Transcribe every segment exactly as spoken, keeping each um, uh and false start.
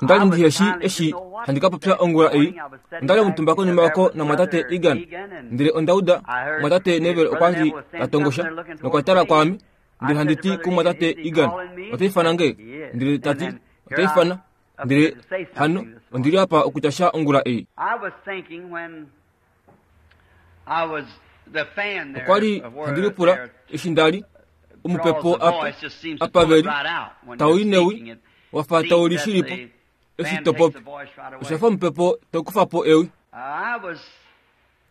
Onda li ndiheshi eshi handi ka popya ongula ei. Onda li omutumba konima oko namwatate Egan, ndele onda uda mwatate Neville okwa li ta tongosha nokwa tala kwaame, ndele handi ti kumwatate Egan, ota ifana nge? Ndele ta ti, ota ifana. Ndele hano ondi li apa okutya sha ongula ei. Okwa li handi lipula eshi nda li omupepo apa apa veli tau i newi wafa tau li shilipo eshi to popi, osha fa omupepo tau kufa po ewi.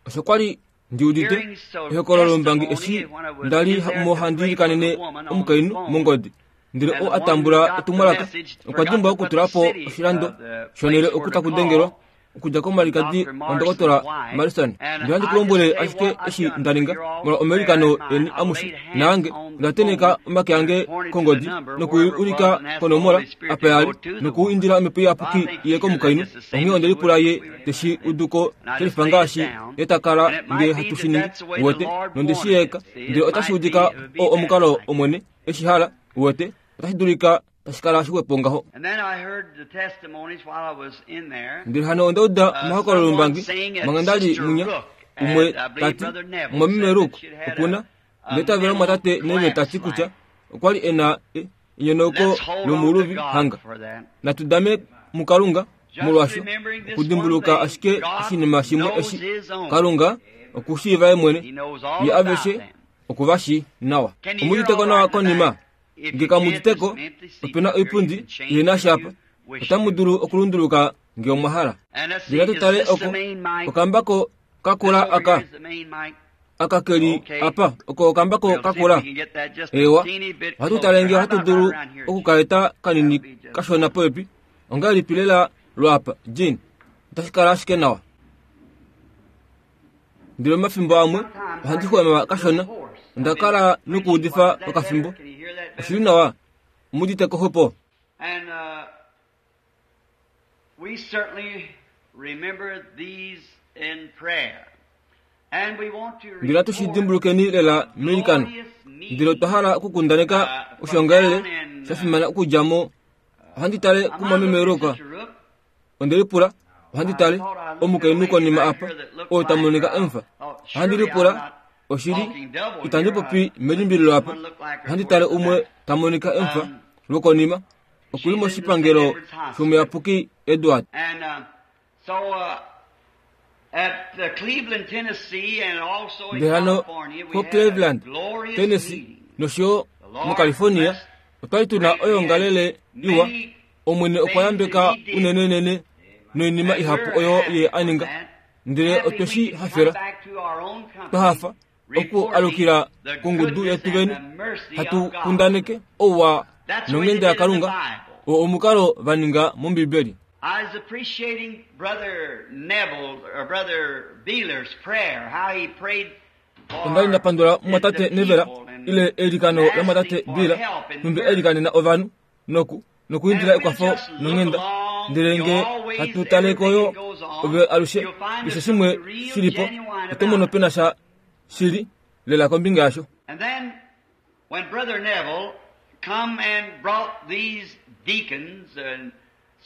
Osho kwa li ndi udite ehokololo lombangi eshi nda li mo handi ilikanene omukainhu mongodi, ndele oo a tambula etumwalaka okwa dimbwa okutula po oshilando shonhele oku taku dengelwa okudja komalikadi wandokotola Marison. Ndele handi ku lombwele ashike eshi nda ninga molwa omailikano eni amushe naange, onda tenheka omake ange kongodi noku ulika konomola apa ya li noku indila omhepo iyapuki iye komukainhu. Onghee onde lipula ye teshi uduko shelifa ngaashi ye ta kala nge hatu shi ningi, uwete, nonde shi eka. Ndele otashi udika oo omukalo Omwene eshi hala, uwete, otashi dulika tashi kala shixwepo ngaho. Ndele hano onda uda omahokololo ombangi manga nda li munya, umwe ta ti, Mumwameme Rook okuna, ndele tavela mumwatate Neville ta ti kutya okwa li e na enyonauko lomuuluvi hanga. Natu dame muKalunga molwasho, okudimbuluka ashike oshinima shimwe eshi, Kalunga okushiiva ye mwene, ye aveshe oku va shii nawa. Omuditeko nawa konima? Nge kamuditeko, ope na oipundi ihena sha apa. Otamu dulu okulunduluka nge omwa hala. Ndele natu tale oko okambako kakula aka aka keli apa, oko okambako kakula. Ewa, ohatu tale nge ohatu dulu okukaeta kanini kashona popepi. Ongahelipi lela lwaapa, Jean? Otashi kala ashike nawa. Ndele omafimbo amwe ohandi xwama kashona. Onda kala nokuudifa okafimbo. Oshili nawa, omuditeko xwepo. Ndele natu shi dimbulukeni lela meilikano. Ndele otwa hala okukundaneka oshiongalele sha fimana okudja mo. Ohandi tale kumwameme Rook. Onde lipula, ohandi tale omukainhu konima apa oo ta monika emufa. Ohandi lipula, oshili, itandi popi melimbililo apa. Ohandi tale umwe ta monika emufa lwokonima, oku li moshipangelo shomuyapuki Edward. Ndele hano koCleveland, Tennessee nosho yo muCalifornia otwa li tu na oyoongalele iwa. Omwene okwa yambeka unenenene noinima ihapu oyo ye a ninga, ndele otwe shi hafela. Twa hafa oku alukila kongudu yetu vene, hatu kundaneke ouwa nonghenda yaKalunga, oo omukalo va ninga mOmbibeli. I was appreciating Brother Neville or Brother Beeler's prayer, how he prayed Onda li nda pandula mumwatate the Neville people and ile eilikano lamwatate asking for Beeler, help and nhumbi mercy. eilikanena ovanhu noku nokuindila And if ekwafo we just look nonghenda. along, Ndele you nge always, hatu tale everything koyo that goes on, ove alushe you'll find keshe there's shimwe something real shilipo, genuine oto mono about it. pena sha shili lela kombinga yasho. And then when Brother Neville come and brought these deacons and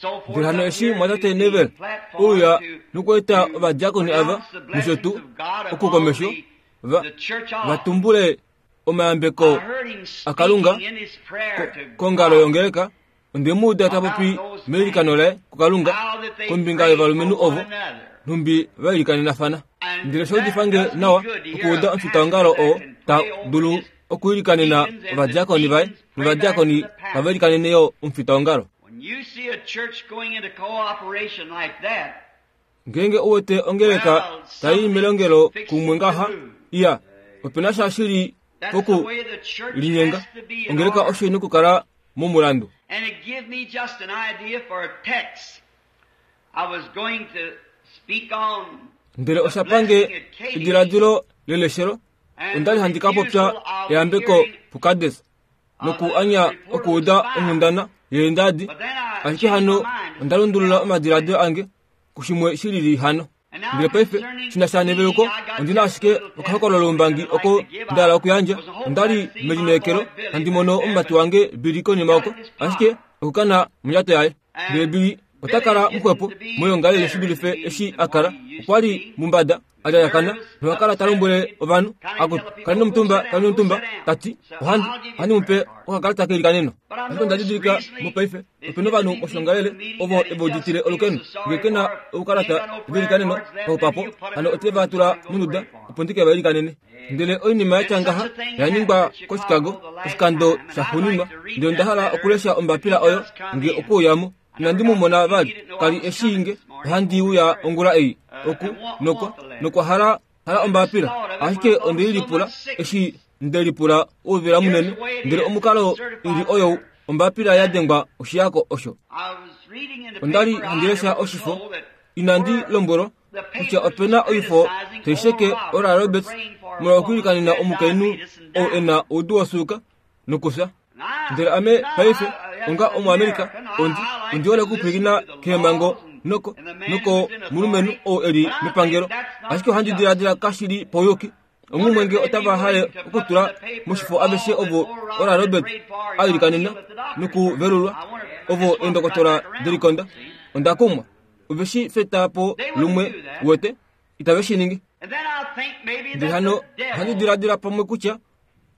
so forth Ndele hano up eshi here to mwatate the Neville platform ouya to, nokueta to ovadiakoni ava pronounce the nosho blessings tuu of God upon okukomesho the, va the church va office. tumbule omayambeko I heard him aKalunga speaking in his prayer to kongalo God yongeleka. Onde mu uda ta popi about those meilikano men, laye kuKalunga how that they kombinga prayed for yovalumenhu one ovo another. nhumbi va ilikanenafana. And Ndele osha that udifa nge does me nawa good to hear okuuda a omufitaongalo pastor oo that can ta pray over dulu his okuilikanena deacons and the ovadiakoni vaye deacons pray back to novadiakoni the tava pastor. ilikanene yo omufitaongalo. When you see a church going into cooperation like that, Ngeenge u wete ongeleka well, tai something's melongelo fixing kumwe to ngaha, move. iya, ope na sha shili That's the poku way the church linyenga. has to be in Ongeleka order. osho ina okukala momulandu. And it give me just an idea for a text I was going to speak on Ndele the osha pange blessing at Kadesh ediladilo leleshelo. and Onda the li handi ka popya refusal of eyambeko hearing puKades of noku the anya report of the okuuda spies. onghundana yeendadi. But then I Ashike changed my hano mind to onda something lundulula else. omadiladilo ange kushimwe shilili hano. And now Ndele paife concerning shina sha the neveluko, meeting, I got ondina just a ashike little okahokololo testimony ombangi that I'd oko like to give. nda hala I okuyandja. was hoping Onda li I'd see my melineekelo boy Billy handi back mono there, omumati but wange Billy konima got oko, in his ashike pocket. okukana mondjato yaye. Ndele And Billy Ota kala muxwepo moyongalele shi dulife eshi a kala. Okwa li mumbada a lyalyakana noha kala ta lombwele ovanhu, akutu, kaleni omutumba, kaleni omutumba, ta ti, ohandi, ohandi mu pe okakalata keilikaneno. Ashike onda didilika mopaife, ope na ovanhu moshongalele ovo eve uditile olukeno. Nge ke na oukalata veilikaneno paupapo, hano ote va tula monduda opo ndi ke va ilikanene. Ndele oinima ya tya ngaha oya ningwa koChicago oshikando shaxuuninwa, ndele onda hala okulesha ombapila oyo nge okuuyamo. Inandi mu mona vali, kali e shii nge ohandi uya ongula ei oku nokwa nokwa hala hala ombapila, ashike onde i lipula eshi nde lipula ouvela munene, ndele omukalo ili oyo ombapila ya dengwa oshiyako osho. Onda li handi lesha oshifo, inandi lombwelwa kutya ope na oifo tai sheke Oral Roberts molwa okwiilikanena omukainhu oo e na oudu wosuuka nokufya. Ndele ame paife onga Omuamerika ondi ondi hole okupwilikina keemhango noko noko mulumenhu oo e li mepangelo, ashike ohandi diladila kashi li pauyuki. Onghumwe nge otava hale okutula moshifo aveshe ovo Oral Roberts a ilikanena nokuvelulwa, ovo eendokotola delikonda. Onda kumwa. Ove shi feta po lumwe wete, itave shi ningi. Ndele hano ohandi diladila pamwe kutya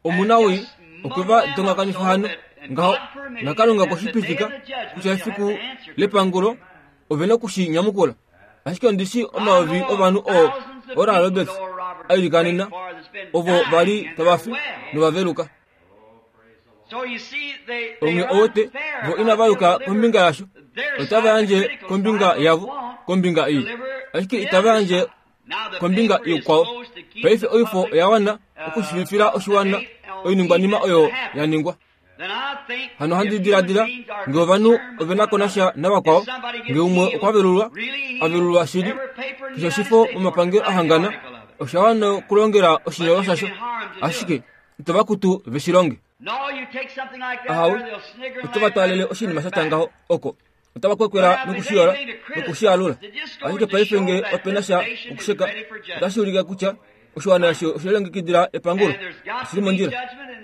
omunawii okwe va dongakanifa hano ngaho, naKalunga okwe shi pitika kutya efiku lepangulo ove na okushi nyamukula. Ashike ondi shi omayovi ovanhu oo Oral Roberts a ilikanena, ovo va li tava fi nova veluka. Onghee owete vo inava yuka kombinga yasho, otava yandje kombinga yavo kombinga ei, ashike itava yandje kombinga ikwao. Paife oifo oya wana okushivifila oshiwana oiningwanima oyo ya ningwa. Hano ohandi diladila nge ovanhu ove na ko nasha navakwao, nge umwe okwa velulwa, a velulwa shili, keshe oshifo momapangelo a hangana osha wana okulongela oshinyolwa shasho, ashike itava kutu ve shi longe. Ahawe, oto va twaalele oshinima sha tya ngaho oko, otava kwekwela nokushiyola nokushialula. Ashike paife nge ope na sha okusheka, otashi ulike kutya oshiwana osho oshe lilongekidila epangulo, oshili mondjila.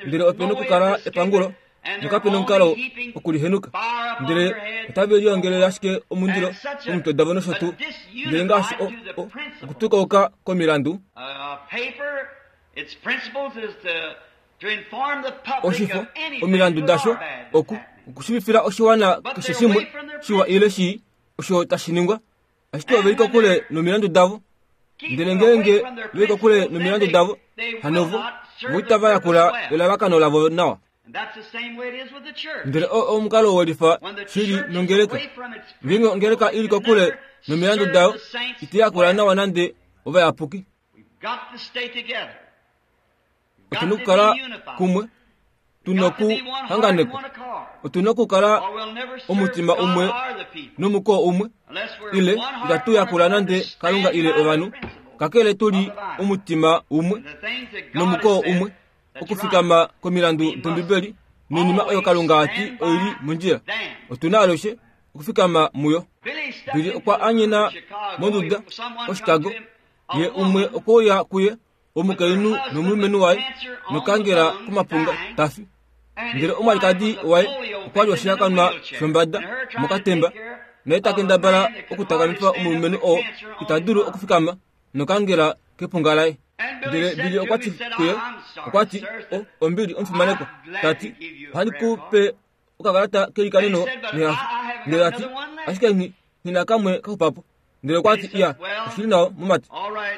Ndele ope na okukala epangulo, nokape na omukalo okulihenuka. Ndele otave liongelele ashike omundilo komitwe davo nosho tuu. Ndele ngaashi o, o, okutukauka komilandu, oshifo, omilandu dasho, oku, okushivifila oshiwana keshe shimwe shiwa ile shii osho tashi ningwa, ashike ove li kokule nomilandu davo. Ndele ngeenge ve li kokule nomilandu davo, hano vo, vo itava yakula elalakano lavo nawa. Ndele oo omukalo welifa shili nongeleka. Ngeenge ongeleka ili kokule nomilandu dayo, ita yakula nawa nande ovayapuki. Otu na okukala kumwe, tu na okuhanganekwa, otu na okukala omutima umwe nomukoo umwe, ile itatu yakula nande Kalunga ile ovanhu, kakele tu li omutima umwe nomukoo umwe, okufikama komilandu dOmbibeli noinima oyo Kalunga a ti oili mondjila. Otu na alushe okufikama muyo. Billy okwa anyena monduda koChicago, ye umwe okwe uya kuye, omukainhu nomulumenhu waye, nokangela komapunga ta fi. Ndele omwalikadi waye okwa li oshihakanwa shombada mokatemba, naye ta kendabala okutakamifa omulumenhu oo ita dulu okufikama nokangela kepunga laye. Ndele Billy okwa ti kuye, okwa ti, o, ombili omufimanekwa, ta ti, ohandi ku pe okakalata keilikaneno nehafo. Ndele ta ti, ashike nghi, nghi na kamwe kaxupapo. Ndele okwa ti, iya, oshili nawa, mumati.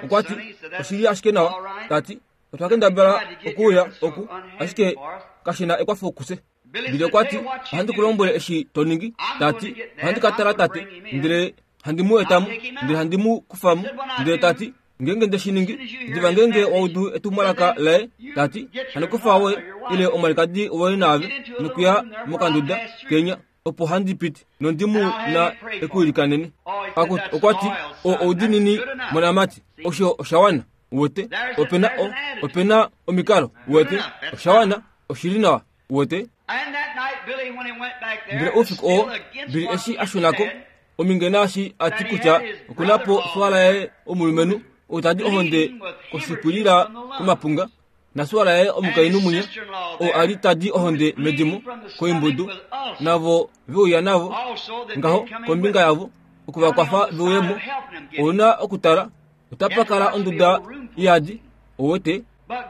Okwa ti, oshili ashike nawa. Ta ti, otwa kendabala okuuya oku, ashike kashi na ekwafo kufye. Billy okwa ti, ohandi ku lombwele eshi to ningi. Ta ti, ohandi ka tala tate, ndele handi mu etamo, ndele handi mu kufamo. Ndele ta ti, ngeenge nde shi ningi, diva ngeenge wa udu etumwalaka laye, ta ti, hano kufa woye ile omwalikadi woye naave nokuya mokanduda kenya, opo handi piti nondi mu na ekuilikanene. Akutu, okwa ti, o oudinini monamati, osho osha wana. Uwete, ope na o, ope na omikalo. Uwete, osha wana, oshili nawa. Uwete. Ndele oufiku oo, Billy eshi a shuna ko, ominge naashi a ti kutya oku na po swala yaye omulumenhu ou tadi ohonde koshipwilila komapunga, Nasuala yaye omukainhu munya oo a li tadi ohonde medimo koimbudu navo veuya navo ngaho kombinga yavo okuvakwafa veuyemo. Ouna okutala otapa kala onduda iyadi owete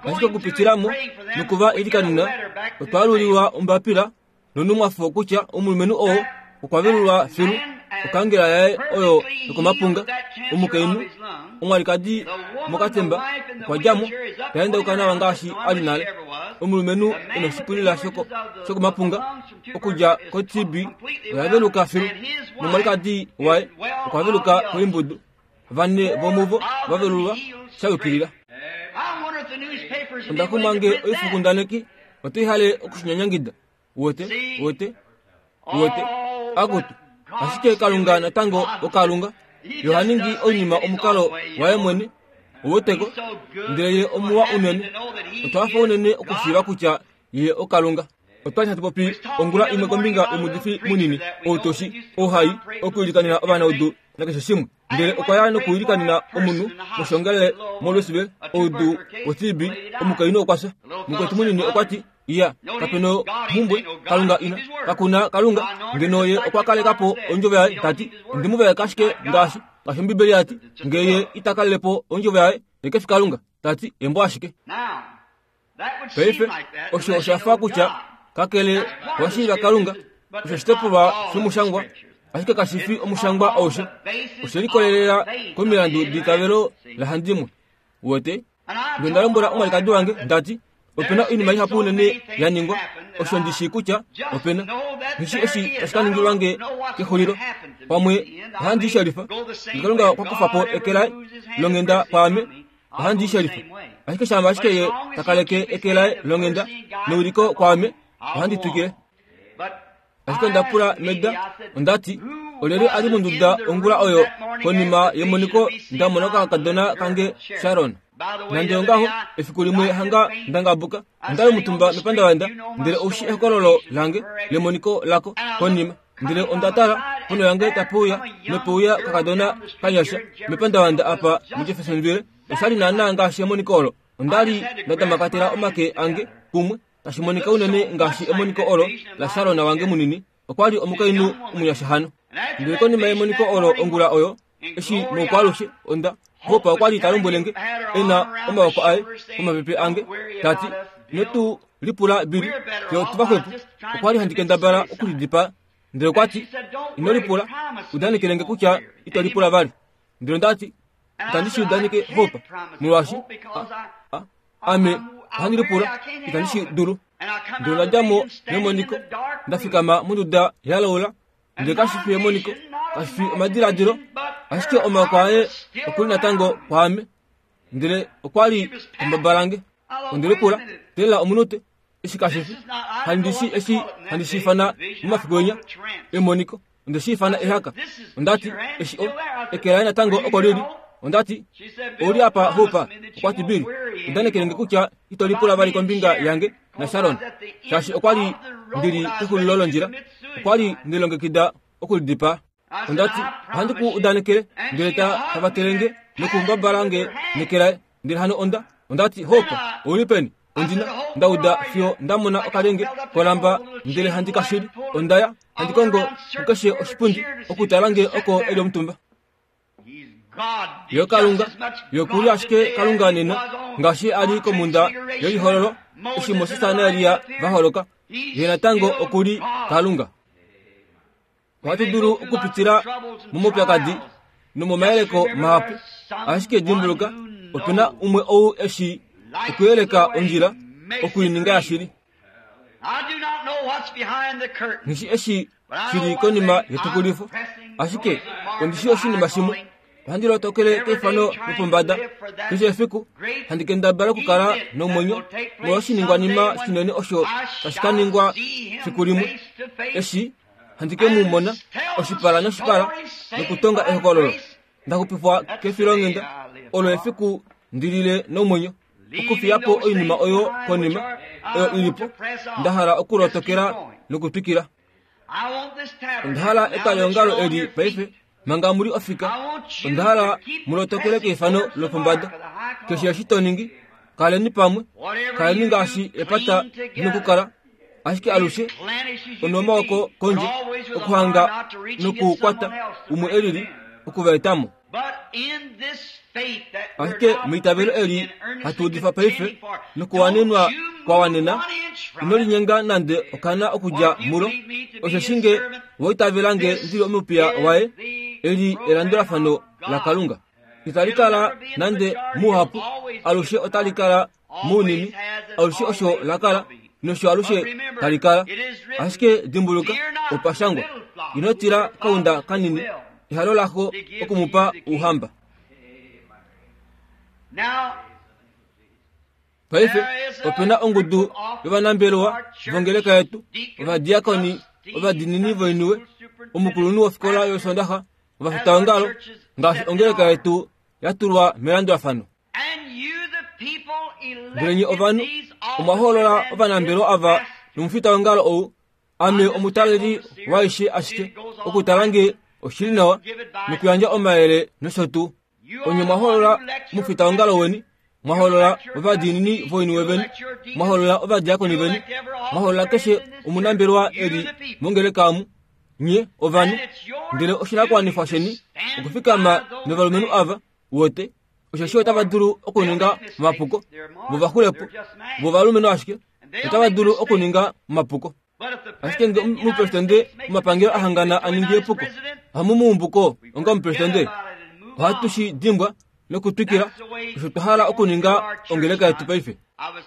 ashike okupitilamo nokuva ilikanena otwaaluliwa ombapila nonumwafo kutya omulumenhu oo okwa velulwa filu okangela yaye oyo yokomapunga. Omukainhu omwalikadi mokatemba okwa djamo taendauka nawa ngaashi ali nale. Omulumenhu ena oshipulila shokomapunga okudja ko-T B oya veluka filu nomwalikadi waye okwa veluka koimbudu. Vane vomuvo vavelulwa shayukilila. Onda kumange oifukundaneki otoihale okushinyanyangida. Wote wote wote akutu ashike Kalunga natango okalunga yohaningi oinima omukalo waye mwene oweteko ndele ye omuwa unene otwafa unene okushiiva kutya ye okalunga. Otwali hatu popi ongula imwe kombinga yomudifi munini outoshi ouhai okuilikanena ovanaudu nakeshe shimwe, ndele okwa ya nokuilikanena omunhu moshongele moLouisville oudu wo-T B. Omukainhu okwa fya. Mukwetu munini okwa ti iya kapena omhumbwe Kalunga ina kakuna Kalunga ngeno ye okwa kalekapo ondjovo yaye. Tati ondimuvaeka ashike ngaashi ngaashi Ombibeli yati ngeye itakalelepo ondjovo yaye yekefi Kalunga. Tati embo ashike. Paife osho oshafa kutya kakele washiiva Kalunga osho oshitopolwa shomushangwa ashike kashifi omushangwa aushe. Oshe likolelela komilandu ditavelo lahandimwe. Wote ndonda lombwela omwalikadi wange ndati opena oinima ihapu unene ya ningwa osho ndishi kutya opena nishi eshi tashi ka ningilwa nge kexulilo pamwe ohandi shelifa. Kalunga okwa kufa po eke laye longhenda kwaame ohandi shelifa, ashike shama ashike ye takaleke eke laye longhenda neuliko kwaame ohandi twikile. Ashike onda pula meda ondati olyelye ali monduda ongula oyo konima yemoniko ndamona okakadona kange Sharon. Nande ongaho efiku limwe hanga ndangabuka ondali omutumba mepandavanda ndele oushi ehokololo lange lemoniko lako konima ndele onda tala pono yange tapeuya nopeuya kakadona kanyasha mepandavanda apa muJeffersonville. Oshali naana ngaashi emoniko olo. Ondali ndatamakatela omake ange kumwe tashi monika unene ngaashi emoniko olo la Sharon wange munini. Okwali omukainhu omunyasha hano. Ndele konima yemoniko olo ongula oyo eshi moukwalushe onda hopa okwali talombwelenge ena omawoko aye komapepe ange tati netu lipula bili fye tuvaxwepo. Okwali handi kendabala okulidipa ndele okwati ino lipula udanekelenge kutya ito lipula vali. Ndele ndati itandi shi udaneke hopa molwaashi ame ohandi lipula itandi shi dulu. Ndele ndadjamo memoniko ndafikama monduda yalaula ndele kashifi emoniko kashifi omadiladilo ashike omawoko aye okuli natango kwaame ndele okwali ombabalange. Ondelipula tela omunute eshi kashifi handishi eshi handishifana momafiku enya emoniko ondeshifana ehaka. Ondati eshi o ekelaye natango oko lili. Ondati oli apa hopa okwati bili udanekelenge kutya ito lipula vali kombinga yange na Sharon shaashi okwali ndili kexulilo londjila okwali ndilongekida okulidipa. Ondati ohandi ku udanekele ndele ta tavatelenge nokumbabalange nekelaye. Ndele hano onda ondati hopa ouli peni? Ondina ndauda fiyo ndamona okalenge kolamba ndele handi kashili. Ondaya handi kongo kukeshe oshipundi okutala nge oko eli omutumba. Yo Kalunga yokuli ashike Kalunga nena ngaashi ali komunda yelihololo eshi Moses naElia vaholoka ye natango okuli Kalunga. Ohatu dulu okupitila momaupyakadi nomomayeleko mahapu ashike dimbuluka opena umwe ou eshi okuyeleka ondjila okuininga yashili. Nishi eshi shili konima yetukulifo ashike ondishi oshinima shimwe. Ohandi lotokele keifano lopombada keshe efiku handi kendabala okukala nomwenyo molwoshiningwanima shinene osho tashi ka ningwa fiku limwe eshi handi ke mu mona oshipala noshipala nokutonga ehokololo. Ndaxupifwa kefilonghenda olo efiku ndilile nomwenyo okufiyapo oinima oyo konima oyo ilipo ndahala okulotokela nokutwikila. Ondahala etwalihongalo eli paife manga muli ofika. Ondahala mulotokele keifano lopombada keshe eshi to ningi Kaleni pamwe, kaleni ngaashi epata nokukala, ashike alushe onomaoko kondje okuhanga nokukwata umwe elili okuvaetamo. Ashike meitavelo eli hatu udifa paife nokuwanenwa kwawanena, ino linyenga nande okana okudja mulo, osheshi nge wa nge ndili omupiya waye, eli elandulafano laKalunga. Itali kala nande muhapu, alushe otali kala munini, alushe osho lakala nosho alushe tali kala. Ashike dimbuluka, opashangwa, ino tila kaunda kanini, ehalo lako okumupa ouhamba. Paife opena ongudu yovanambelewa vongeleka yetu, ovadiakoni, ovadiinini voiniwe, omukulunhu wofikola yosondaxa, ovafitaongalo, ngaashi ongeleka yetu yatulwa melandulafano. Ndele nye ovanhu omwa hoolola ovanambelewa ava nomufitaongalo ou, ame omutaleli waishe ashike okutala nge oshili nawa nokuyandja omayele nosho tuu. Onye mwa hoolola omufitaongalo weni, mwa hoolola ovadiinini voiniwe veni, mwa hoolola ovadiakoni veni, mwa hoolola keshe omunambelewa eli mongeleka omu, nye ovanhu. Ndele oshinakuwanifwa sheni okufikama novalumenhu ava wote, osheshi otava dulu okuninga omapuko, vo vaxulepo, vo valumenhu ashike otava dulu okuninga omapuko. Ashike nge omupresidente omapangelo ahangana aningi epuko, ohamu muumbuko onga omupresidente, ohatu shi dimbwa nokutwikila osho twa hala okuninga ongeleka yetu paife.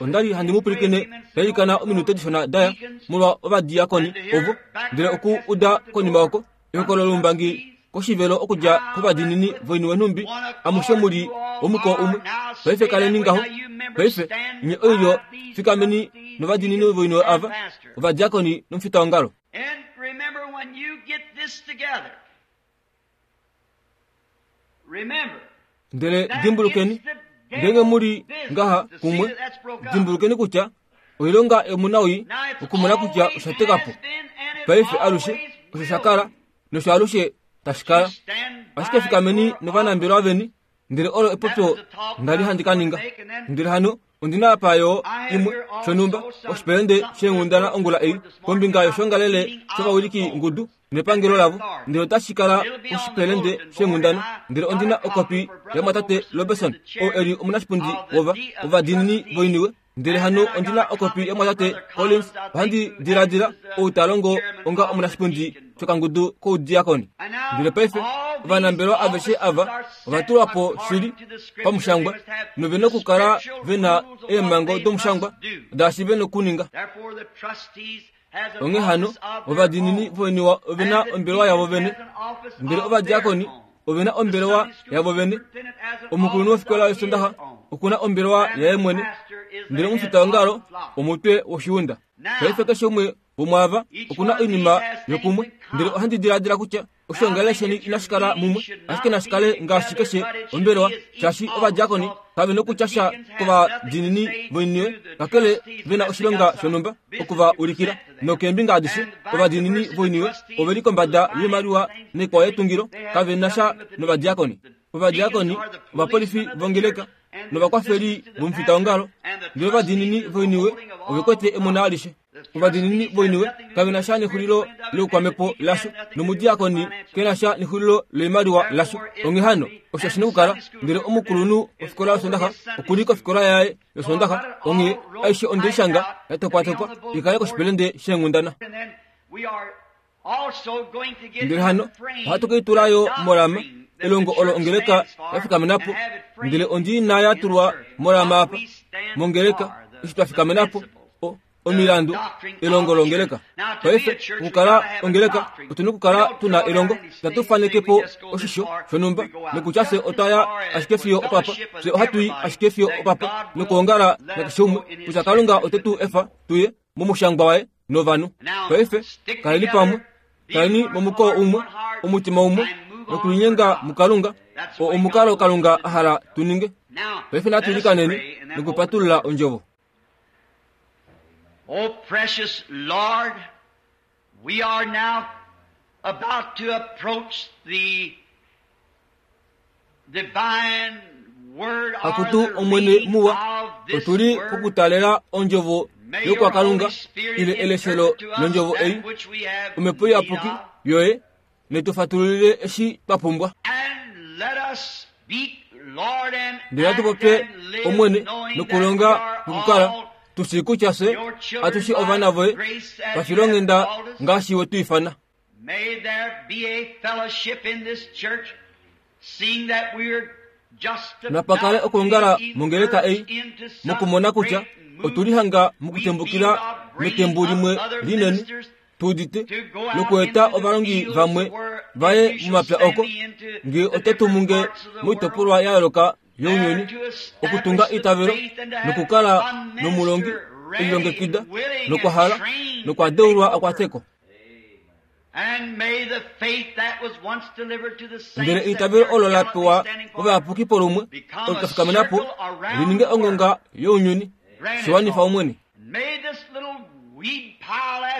Ondali handi mu pwilikine tailikana ominute dishona daya molwa ovadiakoni ovo, ndele oku uda konima oko ehokololo loumbangi koshivelo okudja kovadiinini voiniwe nhumbi amushe muli omukoo umwe. Paife kaleni ngaho. Paife nye oilyo fikameni novadiinini voiniwe ava, ovadiakoni nomufitaongalo. Ndele dimbulukeni, ngenge muli ngaha kumwe, dimbulukeni kutya oilonga yomunawii okumona kutya osha teka po. Paife alushe osho sha kala nosho alushe tashi kala. Ashike fikameni novanambelewa veni, ndele olo epopyo ndali handi ka ninga. Ndele hano ondina apa yo imwe shonhumba oshipelende sheenghundana ongula ei kombinga yoshongalele shovawiliki ngudu nepangelo lavo, ndele otashi kala oshipelende sheenghundana. Ndele ondina okopi yamwatate Robertson oo eli omunashipundi wova ovadiinini voiniwe. Ndele hano ondina okopi yamwatate Collins, ohandi diladila ou ta longo onga omunashipundi shokangudu koudiakoni. Ndele paife ovanambelewa aveshe ava ovatulwa po shili pamushangwa, novena okukala vena eemhango domushangwa daashi vena okuninga. Onghee hano ovadiinini voiniwa ovena ombelewa yavo vene, ndele ovadiakoni ovena ombelewa yavo vene. Omukulunhu wofikola yosondaxa okuna ombelewa yaye mwene, ndele omufitaongalo omutwe woshiunda. Paife keshe umwe womwaava okuna oinima yokumwe, ndele ohandi diladila kutya oshongalele sheni inashi kala mumwe, ashike nashi kale ngaashi keshe ombelewa, shaashi ovadiakoni kave nokutya sha kovadiinini voiniwe, kakele vena oshilonga shonhumba okuva ulikila. Nokeembinga adishe ovadiinini voiniwe oveli kombada yoimaliwa naikwao yetungilo, kave na sha novadiakoni. Ovadiakoni ovapolifi vongeleka novakwafeli vomufitaongalo, ndele ovadiinini voiniwe ovekwete emona alishe. Ovadiinini voiniwe kave na sha nexulilo loukwamepo lasho, nomudiakoni kena sha nexulilo loimaliwa lasho. Onghee hano osho shina okukala. Ndele omukulunhu wofikola yosondaxa okuli kofikola yaye yosondaxa, onghee aishe ondeishanga yatopwatopwa ikale koshipelende sheenghundana. Ndele hano ohatu keitula yo molama elongo olo ongeleka yafikamenapo, ndele ondi ina yatulwa molama apa mongeleka eshi twafikamenapo omilandu elongo longeleka. Paife okukala ongeleka otuna okukala tuna elongo, tatu fanekepo oshisho shonhumba nokutya fye otwaya ashike fiyo opapa, fye ohatu i ashike fiyo opapa nokuongala nakeshe umwe kutya Kalunga ote tu efa tuye momushangwa waye novanhu. Paife kaleni pamwe, kaleni momukoo umwe, omutima umwe, nokulinyenga muKalunga, oo omukalo Kalunga a hala tu ninge. Paife natu ilikaneni nokupatulula ondjovo. Oh, precious Lord, we are now about to approach the divine Akutu omwene muwa, otuli kokutalela ondjovo yokwakalunga ile eleshelo londjovo ei, omhepo iyapuki yoye netufatululile eshi twa pumbwa. Ndele atu popye omwene nokulonga nokukala tushi kutya fye atushi ovana voye pafilonghenda ngaashi we tu ifana. Napakale okwoongala mongeleka ei mokumona kutya otulihanga mokutembukila metembu limwe linene tuudite nokueta ovalongi vamwe vaye momapya oko nge otetumunge moitopolwa ya yooloka younyuni okutunga eitavelo nokukala nomulongi elilongekida nokwahala nokwadeulwa akwateko. Ndele eitavelo olo la pewa ovayapuki polumwe olo tafikamena po lininge ongonga younyuni shiwanifa omwene.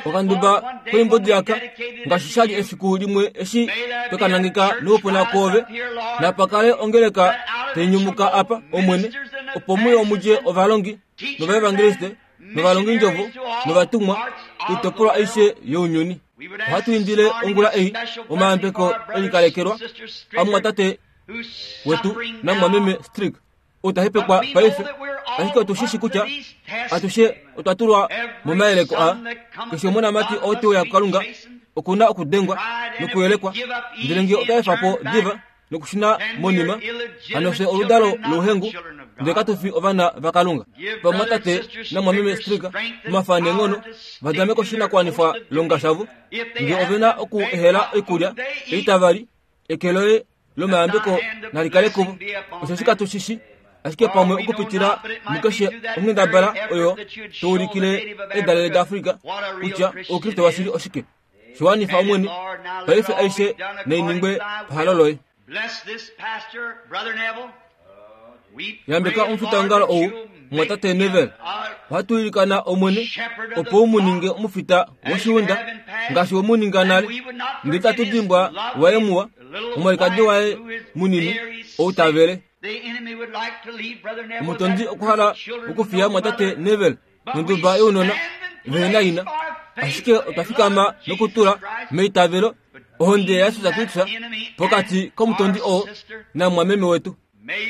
Okanduba koimbodi aka ngaashi shali efiku limwe eshi twekanangeka noupuna kwoove, napakale ongeleka tainyumuka apa omwene, opo muyo mudje ovalongi novaevangeliste novalongindjovo novatumwa koitopolwa aishe younyuni. Ohatu indile ongula ei omayambeko elikalekelwa amwatate wetu namwameme Strick outahepekwa paife, ashike otushishi kutya atushe otwa tulwa momayeleko a keshe omonamati oo teuya kuKalunga okuna okudengwa nokuyelekwa, ndele nge otaefa po diva nokushuna monima, hano fye oludalo louhengu ndele katufi ovana vaKalunga. Vamwatate namwameme Strick omafa neenghono vadame koshinakuwanifwa longa shavo, nge ovena oku ehela oikulya ei tavali, eke loye lomayambeko nalikale kuvo, osheshi katushishi ashike pamwe okupitila mukeshe onghendabala oyo toulikile edalele daAfrika kutya oukriste washili oshike. Shiwanifa omwene, paife aishe nainingwe pahalo loye. Yambeka omufitaongalo ou mwatate Neville. Ohatu ilikana omwene opo u mu ninge omufita woshiunda ngaashi we mu ninga nale, ndele tatu dimbwa waye muwa, omwalikadi waye munini ou tavele. Omutondi okwahala okufiya mwatate Neville nonduba younona vehena ina, ashike otwa fikama nokutula meitavelo ohonde yaJesus Kristus pokati komutondi oo namwameme wetu.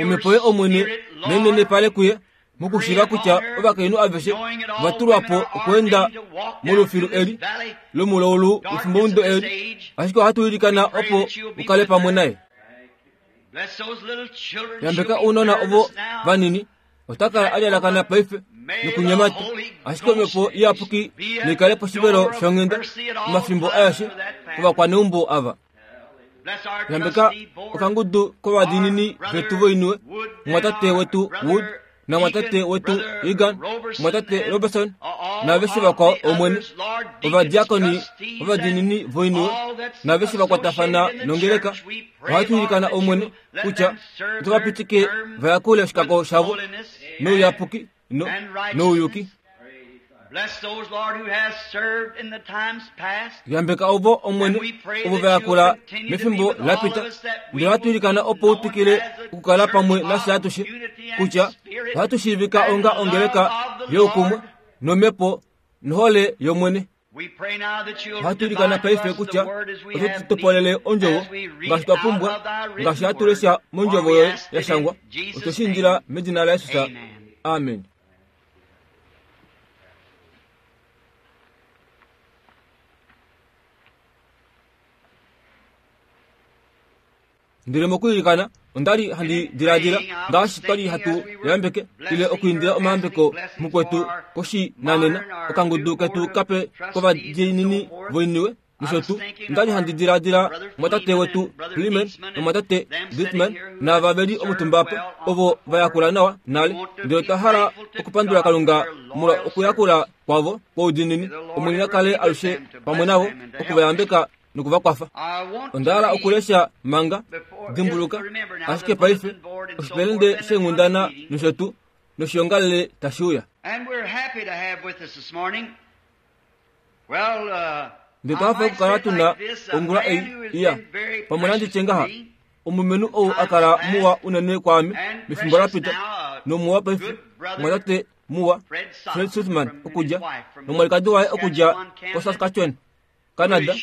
Omhepo ye omwene nainenepale kuye mokushiiva kutya ovakainhu aveshe va tulwa po okweenda molufilu eli lomulaulu wefimbomudo eli, ashike ohatu ilikana opo ukale pamwe naye. Yambeka ounona ovo vanini, ota kala alyalakana paife nokunyemata, ashike omhepo iyapuki naikale poshivelo shonghenda omafimbo aeshe kovakwaneumbo ava. Yambeka okangudu kovadiinini vetu voiniwe, mwatate wetu Wood namwatate wetu Egan, mwatate Robertson naaveshe vakwao omwene, ovadiakoni ovadiinini voiniwe naaveshe vakwatafana nongeleka. Ohatu ilikana omwene kutya otovapitike vayakule oshikako shavo nouyapuki nouyuki. Yambeka ovo omwene ovo vayakula mefimbo lapita, ndele ohatu ilikana opo utwikile okukala pamwe nafye atushe kutya ohatu shiivika onga ongeleka youkumwe nomhepo nohole yomwene. Ohatu ilikana paife kutya oto tu topolele ondjovo ngaashi twa pumbwa, ngaashi hatu lesha mondjovo yoye ya shangwa. Otwe shi indila medina laJesus, amen. Ndele mokuilikana ondali handi diladila ngaashi twali hatu yambeke ile okuindila omayambeko mukwetu koshinanena okangudu ketu kape kovadiinini voiniwe nosho tuu. Ondali handi diladila mwatate wetu Freeman nomwatate Brickman naava veli omutumba apa ovo vayakula nawa nale, ndele otwa hala okupandula Kalunga molwa okuyakula kwavo kwoudiinini. Omwene na kale alushe pamwe navo okuvayambeka nokuvakwafa. Onda hala okulesha manga dimbuluka, ashike paife oshipelende sheenghundana nosho tuu noshiongalele tashi uya. Ndele twa hafa okukala tuna ongula ei iya pamwe nanditye ngaha, Omulumenhu ou a kala muwa unene kwaame mefimbo la pita nomuwa paife mwatate muwa Fred Sutman okudja nomwalikadi waye okudja koSaskatchewan, Canada,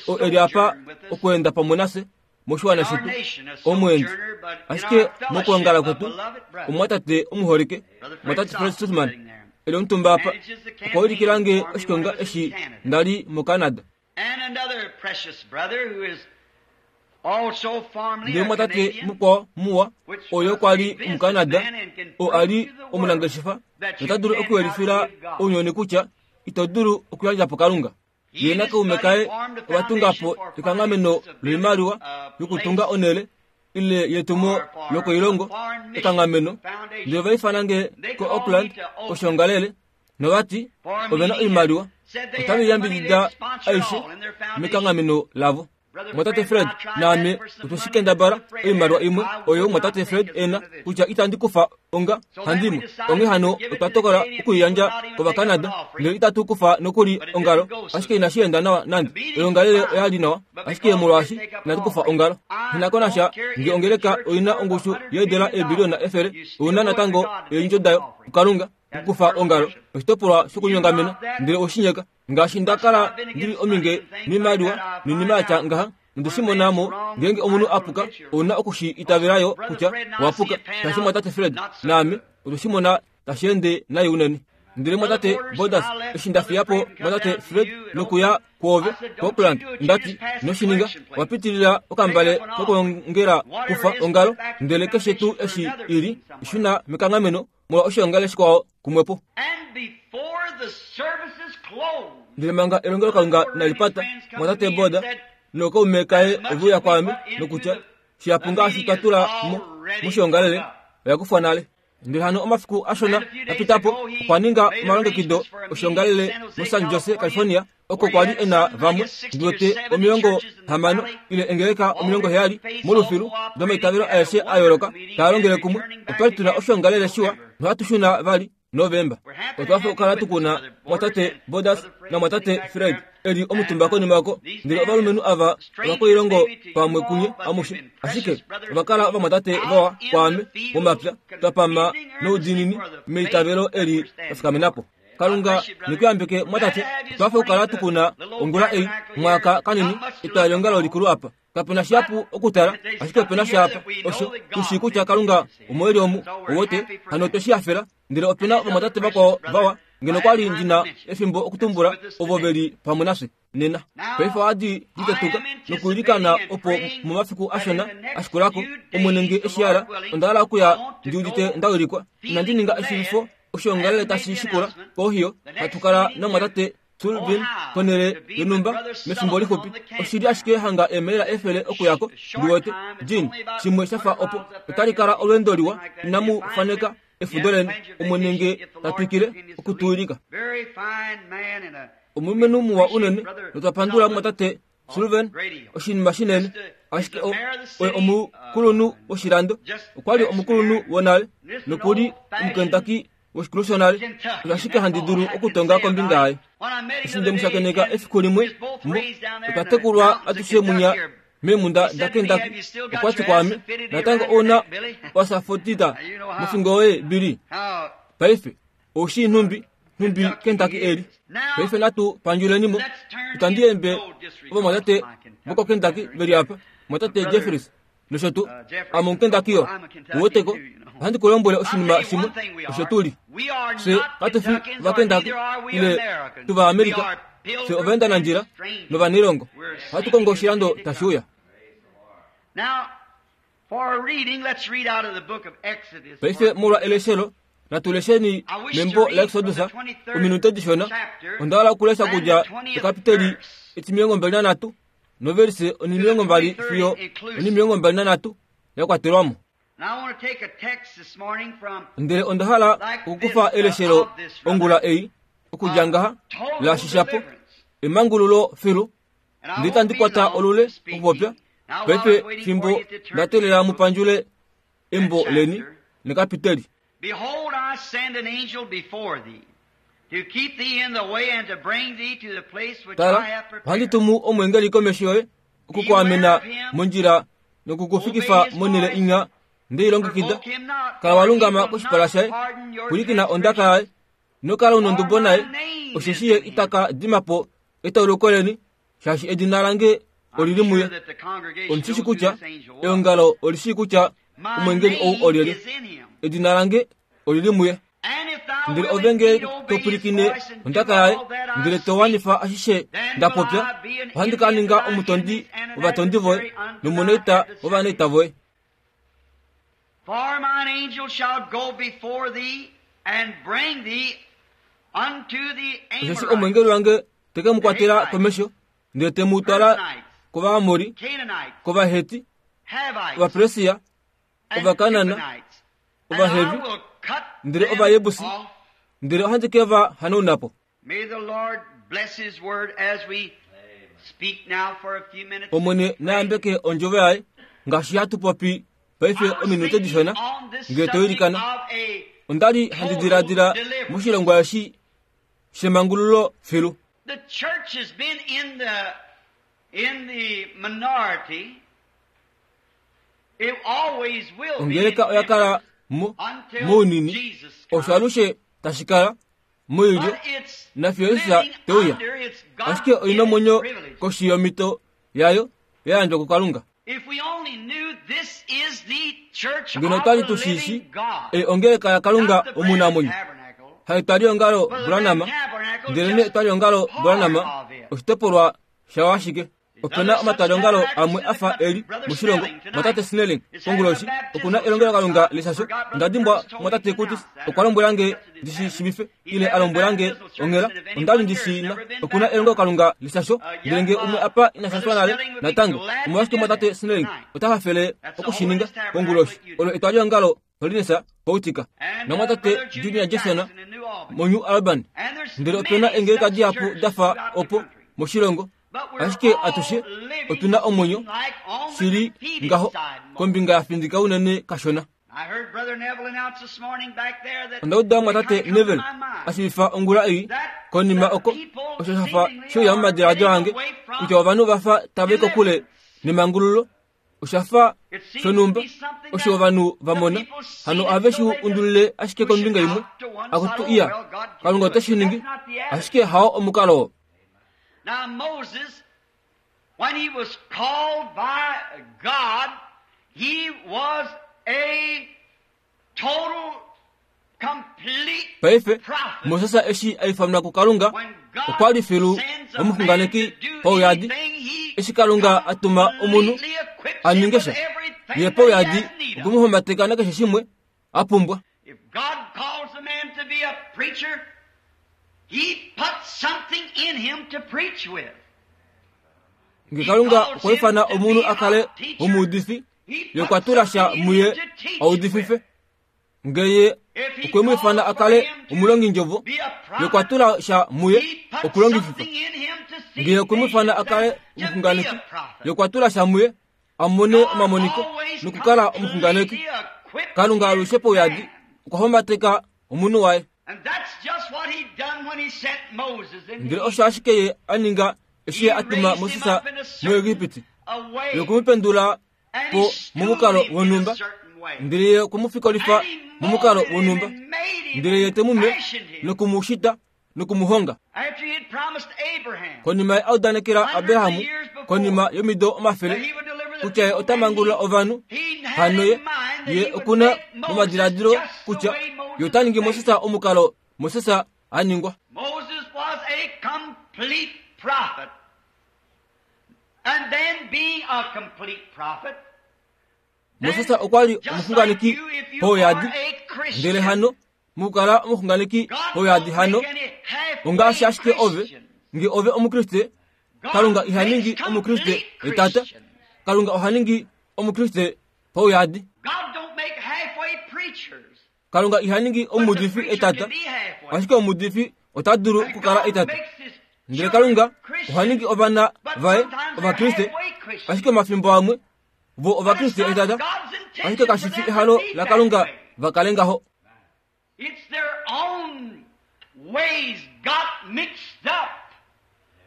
oo eli apa okweenda pamwe nafye moshiwana shetu omweendi. Ashike mokwoongala kwetu omwatate omuholike mwatate Fred Sutman eli omutumba apa okwa ulikila nge oshikonga eshi ndali moCanada. Ndele mwatate mukwao muwa oyo kwa li omuCanada oo a li omunangeshefa nota dulu okuyelifila ounyuni kutya ito dulu okuyandja po Kalunga. Ye nakaume kaye ova tunga po ekanghameno loimaliwa yokutunga onhele ile yetumo lokoilongo ekanghameno, ndele ova ifana nge koAuckland koshoongalele novati ovena oimaliwa otave yambidida aishe mekanghameno lavo. Mwatate Fred naame otwe shi kendabala oimaliwa imwe oyo mwatate Fred ena kutya itandi kufa onga handimwe. Onghee hano otwa tokola okuiyandja kOvacanada ndele itatu kufa nokuli ongalo, ashike inashi enda nawa nande. Oyoongalele oya li nawa, ashike molwaashi inatu kufa ongalo. Nghi na sha nge ongeleka oina ongushu yeedela eebiliyona efele, ouna natango eendjo dayo kuKalunga okukufa ongalo oshitopolwa shokunyongamena ndele oshinyeka. Ngaashi nda kala ndili ominge noimaliwa noinima yatya ngaha, nonde shi mona mo ngeenge omunhu a puka ouna okushi itavela yo kutya owa puka. Shaashi mwatate Fred naame otwe shi mona tashi ende nai unene. Ndele mwatate Borders eshi nda fiya po mwatate Fred nokuya kwoove koAuckland, ndati noshininga owa pitilila okambale kokwoongela kufa ongalo, ndele keshe tuu eshi ili shuna mekanghameno molwa oshoongale shikwao kumwepo. Ndele manga elongelokalunga inali pata, mwatate Boda nookaume kaye ove uya kwaame nokutya shihapu ngaashi twa tula mo moshoongalele oya kufwa nale. Ndele hano omafiku ashona a pita po okwa ninga omalongekido oshoongalele moSan Jose, California, oko kwa li ena vamwe ndiwete omilongo hamano ile engeleka omilongo heyali molufilu domaitavelo aeshe a yooloka taa longele kumwe. Otwa li tuna oshoongalele shiwa nohatu shuna vali Novemba. Otwa fa okukala tukuna mwatate Borders namwatate Fred eli omutumba konima oko, ndele ovalumenhu ava ovakoilongo pamwe kunye amushe, ashike ova kala ovamwatate vawa kwaame momapya, twa pama noudiinini meitavelo eli twa fikamena po. Kalunga nekuyambeke mwatate. Otwa fa okukala tukuna ongula ei mwaka kanini etwalelongalo likulu apa. Kapena shihapu okutala, ashike opena shaapa osho tushii kutya Kalunga omo eli omu owote hano otwe shi hafela. Ndele opena ovamwatate vakwao vawa ngeno kwa li ndina efimbo okutumbula ovo veli pamwe nafye nena. Paife ohadi litetuka nokuilikana opo momafiku ashona ashikulako Omwene nge eshi hala onda hala okuya ndi udite nda wilikwa. Inandi ninga eshilifo oshoongalele tashi shikula kohiyo hatu kala namwatate Sulvin konhele yonhumba mefimbo lixupi. Oshili ashike hanga eemaila efele okuyako ndiwete Jean shimwe shafa opo. Otali kala olweendo liwa, inamu faneka efudo leni Omwene nge ta twikile okutuwilika. Omulumenhu muwa unene notwa pandula mwatate Sullivan oshinima shinene, ashike oye omukulunhu woshilando, okwa li omukulunhu wonale nokuli omuKentucky woshikulu shonale. Osho ashike handi dulu okutonga kombinga yaye. Eshi nde mu shakeneka efiku limwe mo otwa tekulwa atushe munya meemunda daKentucky, okwa ti kwaame, natango ouna wasafotita mofingo yoye Billy. Paife oushii nhumbi nhumbi Kentucky eli. Paife natu pandjulenimo. Itandi yembe ovamwatate vokoKentucky veli apa, mwatate Jeffries nosho tuu. Ame omuKentucky yo, uweteko. Ohandi ku lombwele oshinima shimwe, osho tu li. Fye katu fi Ovakentucky ile tuvaAmerika, fye ovaendanandjila novanailongo. Ohatu kongo oshilando tashi uya. Paife molwa eleshelo natu lesheni membo laExodus ominute dishona. Onda hala okulesha kudja ekapiteli etimilongo mbali nanhatu noverise onimilongo mbali fiyo onimilongo mbali nanhatu ya kwatelwamo. Ndele onda hala okukufa eleshelo ongula ei okudja ngaha la shishapo emangululo filu. Ndele itandi kwata olule okupopya paife fimbo nda teelela mu pandjule embo leni nekapiteli. Behold, I send an angel before thee to keep thee in the way and to bring thee to the place which Tala, I have ohandi prepared. tumu omweengeli komesho yoye okukuamena mondjila Nokukufikifa monhele inya ndeilongekida. Kala walungama koshipala shaye, pwilikina ondaka yaye, nokala una ondubo naye, osheshi ye itaka dima po etauluko leni, shaashi edina lange olili muye. Omushishi kutya eongalo olishii kutya omwengeli ou olyelye. Edina lange olili muye. Ndele ove nge to pwilikine ondaka yaye, ndele to wanifa ashishe nda popya, ohandi ka ninga omutondi wovatondi voye nomunaita wovanaita voye. For mine angel shall go before thee and bring thee unto the Osheshi omwengeli wange teke mu kwatela komesho, ndele te mu twala kOvaamori, kOvaheti, Ovapersia, Ovakanaan, Ovahevi, ndele Ovajebusi, ndele ohandi ke va hanauna po. Omwene na yambeke ondjovo yaye ngaashi hatu popi paife ominute dishona ngele to ilikana. Onda li handi diladila moshilongwa eshi shemangululo filu. The church has been in the in the minority. It always will be. Ongeleka oya kala mo mounini osho alushe tashi kala moilyo nafiyo Jesus te uya. Ashike oina omwenyo koshi yomito yayo ya yandjwa kuKalunga. If we only knew this is the church Ngeno of otwali the tu shi shi living God. ei ongeleka yaKalunga Not the Branham omunamwenyo. Tabernacle, Haitwali ongalo but the Branham, Branham Tabernacle ndelene just etwali ongalo part Branham of it. oshitopolwa shawo ashike. Opena omatwaliongalo amwe afa eli moshilongo. Mwatate Snelling konguloshi okuna elongelokalunga leshasho. Onda dimbwa mwatate Curtis okwa lombwela nge ndishi shivife ile a lombwela nge onghela. Onda li ndishi na okuna elongelokalunga leshasho, ndele nge umwe apa ina shashwa nale natango. Omolwashike mwatate Snelling ota hafele okushininga konguloshi? Olo etwaliongalo Holiness Poutika And, uh, namwatate Brother Junior Junior Jackson Jackson in New Albany. moNew Albany. And there's Ndele many opena eengeleka such dihapu churches dafa throughout the opo country. moshilongo. But we're Ashike all atushe living otuna omwenyo like on the shili defeated ngaho side more. kombinga ya findika unene kashona. I heard Brother Neville announce this morning back there that Onda uda it mwatate kinda come to Neville my mind ashivifa ongula ei that konima the oko people osho shafa seemingly sheuya are momadiladilo getting ange away from kutya ovanhu vafa tava i kokule deliverance. nemangululo. Oshafa It seems to shonhumba be something osho that ovanhu va the mona people seen hano it ohave so shi they just undulile ashike push it kombinga imwe out to one side. akutu Oh, iya well, God can Kalunga do ote it. shi But ningi that's not the attitude. ashike hao omukalo oo. Now Moses, when he was called by God, he was a total, complete Paife prophet. Moses eshi a ifanwa kuKalunga When God okwa li filu sends a man omuxunganeki to do pauyadi. anything, he Eshi Kalunga a tuma omunhu completely equips a him ninge with sha, everything ye that he pauyadi has need of. okumuhombateka nakeshe shimwe a pumbwa. If God calls a man to be a preacher, he puts something in him to preach with. Nge He Kalunga calls okwa him ifana to omunhu be a kale a teacher. omuudifi, He ye puts okwa tula sha something in muye him to teach audifife. with. Nge ye If he okwe mu ifana calls a for kale him to omulongindjovo, be a ye okwa prophet, tula sha muye he puts okulongififa. something in him to see Nge okwe mu ifana visions a kale and to be omuxunganeki, a prophet. ye okwa tula sha muye a mone God omamoniko always nokukala omuxunganeki. completely equips Kalunga his alushe pauyadi man. okwa hombateka omunhu waye. And that's just what he done when he sent Moses into Ndele Egypt. osho ashike ye a ninga eshi He ye a tuma raised him Moses up in a certain muEgipiti, a ye way, okumupendula and po he schooled momukalo him in a wonhumba, certain way. ndele ye okumufikolifa And he momukalo molded him wonhumba, and made him ndele ye and te mu me fashioned him. nokumushita nokumuhonga. After he had promised Abraham Konima ye a udanekela hundreds of Abrahamu years before konima yomido that omafele he would deliver the kutya ye people, ota and mangulula he, ovanhu, he had hano in ye mind that ye he would okuna make Moses momadiladilo just the kutya way ye Moses ota ningi was Moses made. omukalo Moses a ningwa. Moses was a complete prophet. And then being a complete prophet, then Moses okwa li just like omuxunganeki you, if you are pauyadi, a ndele Christian, hano mukukala omuxunganeki God pauyadi don't hano make any halfway ongaashi ashike ove Christians. nge ove omukriste, Kalunga God iha makes ningi omukriste complete etata, Christians. Kalunga oha ningi omukriste pauyadi. God don't make halfway preachers, Kalunga iha ningi but the omuudifi preacher etata, can be halfway. ashike omuudifi ota dulu And okukala God etata. makes his Ndele children Kalunga oha ningi Christians, ovana but vaye sometimes they're ovakriste, halfway Christians. ashike omafimbo amwe vo But it's ovakriste not etata, God's ashike intention kashi for fi them to ehalo be that laKalunga way. va kale ngaho. It's their own ways got mixed up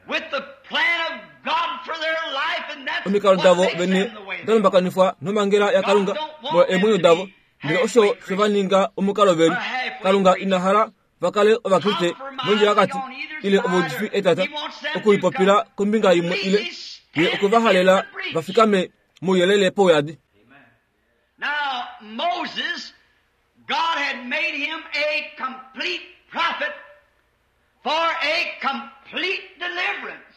with the plan of God for their life, and that's Omikalo what davo makes vene them the way they Dalumbakanifwa nomangela yaKalunga molwa eemwenyo davo ndele osho shova ninga omukalo veli. Kalunga ina hala vakale ovakriste mondjila yakati ile ovaudifi etata okulipopila kombinga imwe ile ye okuvahalela vafikame mouyelele pouyadi. Now Moses, God had made him a complete prophet for a complete deliverance.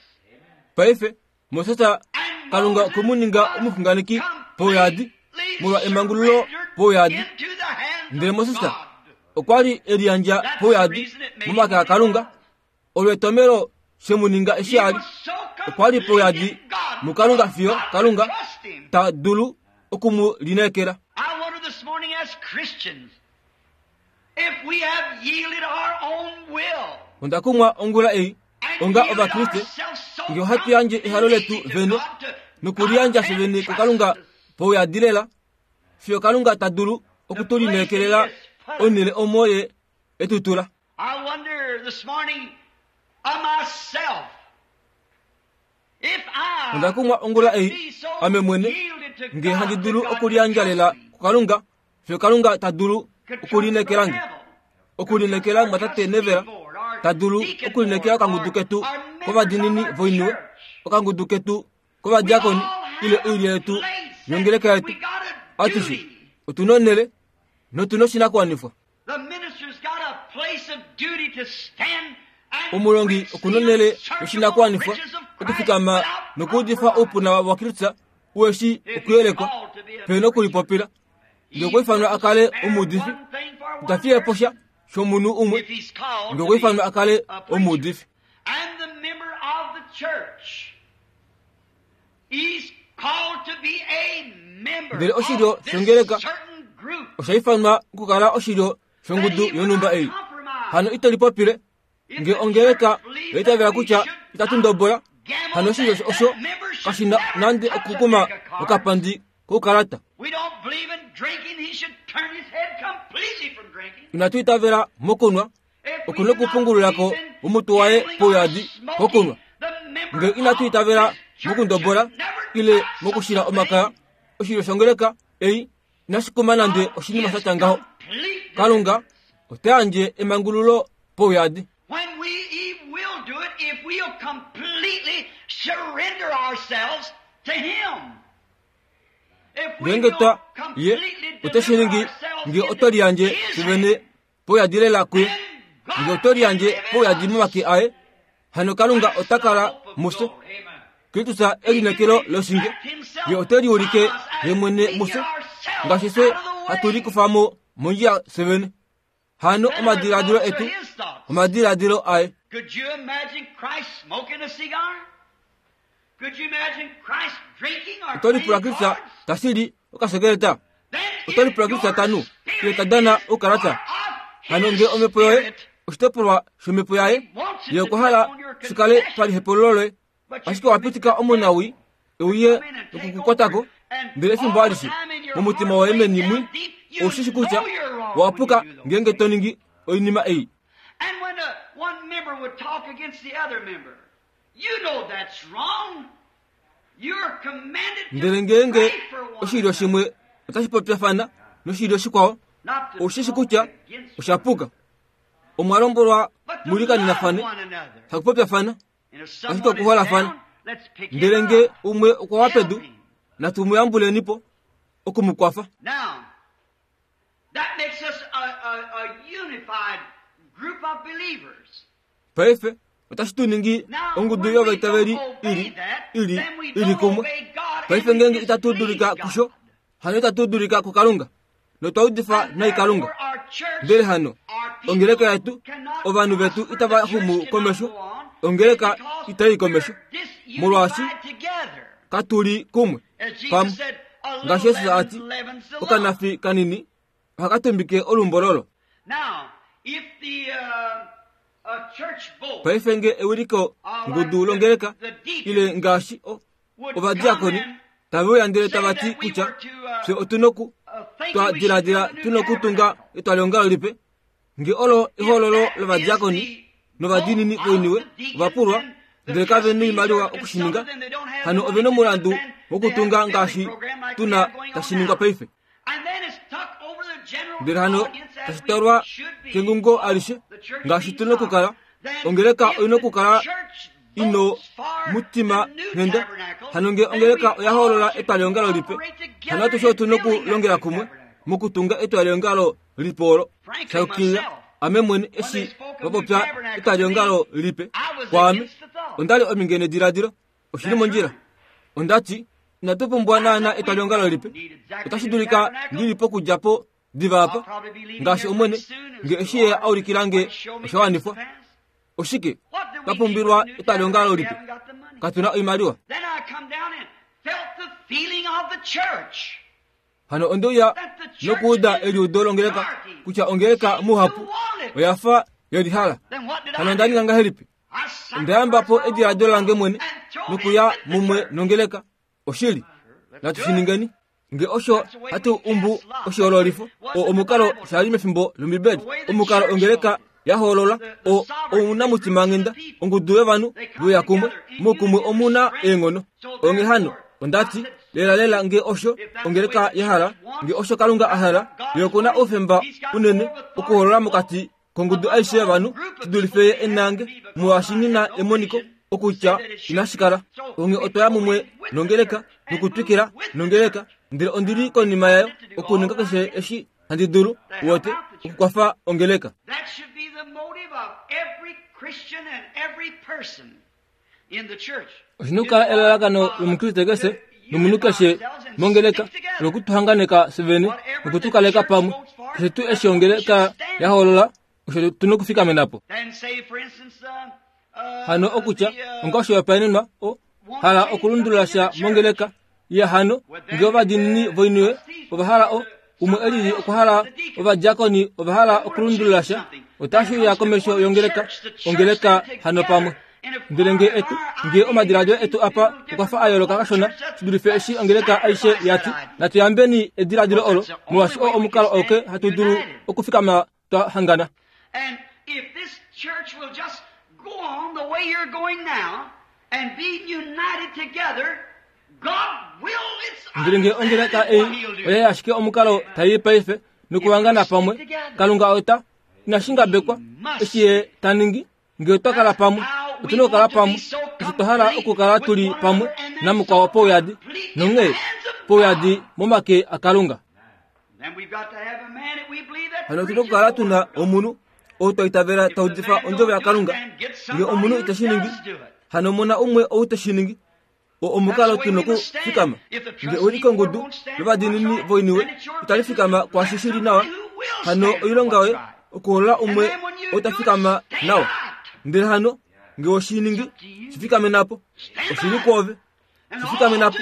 Paife Moses Kalunga okwe omuxunganeki pouyadi molwa emangululo pouyadi. Ndele Moses okwa li e liyandja pouyadi momake aKalunga. Olo etomelo shemuninga eshi a li okwa li pouyadi muKalunga fiyo Kalunga ta dulu okumu lineekela. I wonder this morning as Christians if we have yielded our own will. Onda kumwa ongula ei onga ovakriste nge ohatu yandje ehalo letu vene nokuliyandja fye vene kuKalunga pouyadi lela fiyo Kalunga ta dulu okutulineekelela onhele omo ye etutula. I wonder this morning of myself if I Onda kumwa ongula ei ame mwene nge handi dulu okuliyandja lela kuKalunga fiyo Kalunga ta dulu okulineekela nge, okulineekela mwatate Nevera ta dulu okulineekela okangudu ketu kovadiinini voiniwe, okangudu ketu kovadiakoni ile oilyo yetu yongeleka yetu. Atushe otuna onhele notuna oshinakuwanifwa. The minister's got a place of duty to stand and Omulongi okuna onhele yoshinakuwanifwa riches of Christ okufikama without nokuudifa oupuna waKristus ueshi okuyelekwa pena okulipopila. Nge okwa ifanwa a kale omuudifi, ita fiye po sha shomunhu umwe if he's called nge to okwa be ifanwa a kale a preacher. omuudifi. And the member of the church, he's called to be a member Ndele oshilyo of this shongeleka certain group. osha ifanwa okukala oshilyo shongudu yonhumba ei. Hano ito lipopile If nge the ongeleka church believes oitavela that we kutya should itatu not ndobola, gamble, hano oshilyo that osho that member should kashina never nande touch a okukuma deck of cards. okapandi koukalata. We don't believe in drinking. He should turn his head completely from drinking. Inatu itavela mokunwa, If we okuna do not okupungululako believe in omutu waye gambling or pouyadi smoking, kokunwa. the member Nge inatu of itavela this church mokundobola should never ile touch such mokushila a omakaya, thing. oshilyo shongeleka ei inashi kuma nande oshinima sha tya ngaho. Complete Kalunga ota yandje emangululo pouyadi. When we he will do it if we'll completely surrender ourselves to Him. If we Ngeenge will twa ye completely ote shi deliver ningi ourselves nge into oto liyandje His fye vene hand, pouyadi lela kuye, then God nge oto liyandje can live in pouyadi us. momake aye, hano Kalunga ota kala mufye. Kristus elineekelo loshinge, ye ote liulike ye mwene mufye, ngaashi fye hatu likufa mo mondjila fye vene. Hano omadiladilo etu omadiladilo aye. Could you imagine Christ smoking a cigar? Could you imagine Christ drinking or Oto lipula playing Kristus cards? tashili okasekeleta. Then Oto if lipula Kristus your tanu spirit ile tadana is oukalata. part of Hano his nge omhepo yoye spirit, oshitopolwa shomhepo yaye, ye okwa hala shikale palihepululo loye, but you ashike owa pitika omunawi euye okukukwatako, ndele efimbo alishe momutima woye meni mwi oushishi kutya owapuka ngeenge to ningi oinima ei. And when uh, one member would talk against the other member, you know that's wrong. You're commanded to Ndele ngeenge pray for one oshilyo another, shimwe otashi popyafana noshilyo shikwao, not to oushishi talk kutya against osha puka. Omwa lombwelwa but to mulikaninafane, love one another. hakupopyafana. And if Ashike someone is okuholafana. down, let's pick him Ndele nge up. umwe okwa wa pedu, Help him. natu mu yambulenipo okumukwafa. Now, that makes us a, a, a unified group of believers. Paife otashi tu ningi Now, ongudu when we yovaitaveli don't obey ili that, ili then we ili don't kumwe. obey God Paife and we ngeenge itatu displease dulika God. kusho, hano itatu dulika kuKalunga notwa udifa And nai Kalunga. therefore our church, Ndele hano our people ongeleka yetu cannot ovanhu vetu prosper, itava the church xumu cannot komesho, go on, ongeleka because itai komesho, we're disunified molwaashi together. katuli kumwe As Jesus pamwe. said, a little Ngaashi Jesus leaven ati, leavens the lump. okanafi kanini ohaka tumbike olumbololo. Now, if the uh, a church board Paife nge ewiliko ngudu longeleka ile ngaashi o- would ovadiakoni come and tave uya ndele say tava ti that we kutya were to, uh, fye otu noku uh, thinking twa we should diladila build a new tu nokutunga tabernacle. etwaliongalo lipe, nge olo ehololo If that lovadiakoni is the novadiinini vote of voiniwe the deacons ovapulwa and the ndele kave trustees noimaliwa are okushininga, consulted and they don't have hano the ove money to do nomulandu it, then wokutunga they have a ngaashi building program like tuna tashi ningwa paife. Ndele hano tashi talwa kengungo alishe ngaashi tuna okukala ongeleka oyina okukala ino mutima nghenda. Hano nge ongeleka oya hoolola etwaliongalo lipe, hano atushe otuna okulongela kumwe mokutunga etwaliongalo lipe olo. Shayukilila ame mwene eshi vapopya etwaliongalo lipe kwaame ondali ominge nediladilo oshili mondjila. Ondati inatu pumbwa naana etwaliongalo lipe, otashi dulika ndili pokudja po diva apa ngaashi omwene nge eshi ye aulikilange oshawanifwa. Oshike twapumbilwa etwaliongalo lipe? Katuna oimaliwa. Hano ondeuya nokuuda eliudo longeleka kutya ongeleka muhapu oyafa yelihala. Hano ondaninga ngahelipi? Ondayamba po ediladilo lange mwene nokuya mumwe nongeleka. Oshili natu shiningeni nge osho hatu umbu oshihoololifo o omukalo shali mefimbo lombibeli. Omukalo ongeleka yahoolola o omunamutima nghenda ongudu yovanhu voya kumwe mokumwe omuna eenghono. Onge hano ondati lela lela nge osho ongeleka yahala nge osho Kalunga ahala ye okuna oufemba unene okuhoolola mokati kongudu aishe yovanhu shidulife ye enange molwaashi ngina emoniko okutya inashikala. Onge otwaya mumwe nongeleka nokutwikila nongeleka ndele ondili konima yayo okuninga keshe eshi handi dulu wote okukwafa ongeleka. Oshina okukala elalakano lomukriste keshe nomunhu keshe mongeleka lokutuhanganeka sevene nokutukaleka pamwe. Keshe tuu eshi ongeleka yahoolola osho tuna okufikamena po. Hano okutya onga oshihopaenenwa o hala okulundulula sha mongeleka ya hano nge ovadiinini voiniwe ovahala o umwe elili okwahala ovadiakoni ovahala okulundulula sha otashi uya komesho yongeleka ongeleka hano pamwe. Ndele nge etu nge omadiladilo etu apa okwafa a yooloka kashona shidulife eshi ongeleka aishe yati natuyambeni ediladilo olo molwaashi oo omukalo oke hatu dulu okufikama twa hangana. And if this church will just go on the way you're going now and be united together, God will. It's Ndele nge ongeleka ei oya ashike omukalo tai paife nokuhangana pamwe, Kalunga ota inashingabekwa eshi ye ta ningi nge otwa kala pamwe. Otuna okukala pamwe eshi twa hala okukala tuli pamwe namukwao pouyadi nonghee pouyadi momake aKalunga. Hano otuna okukala tuna omunhu ou twa itavela ta udifa ondjovo yaKalunga. Nge omunhu iteshi ningi, hano mona umwe ou teshi ningi. O omukalo tuna okufikama nge uli kongudu lovadiinini voiniwe itali fikama kwaashi shili nawa, hano oilonga yoye okuhoolola umwe ou ta fikama nawa. Ndele hano nge oshiningi shifikame po oshili kwoove shifikame po.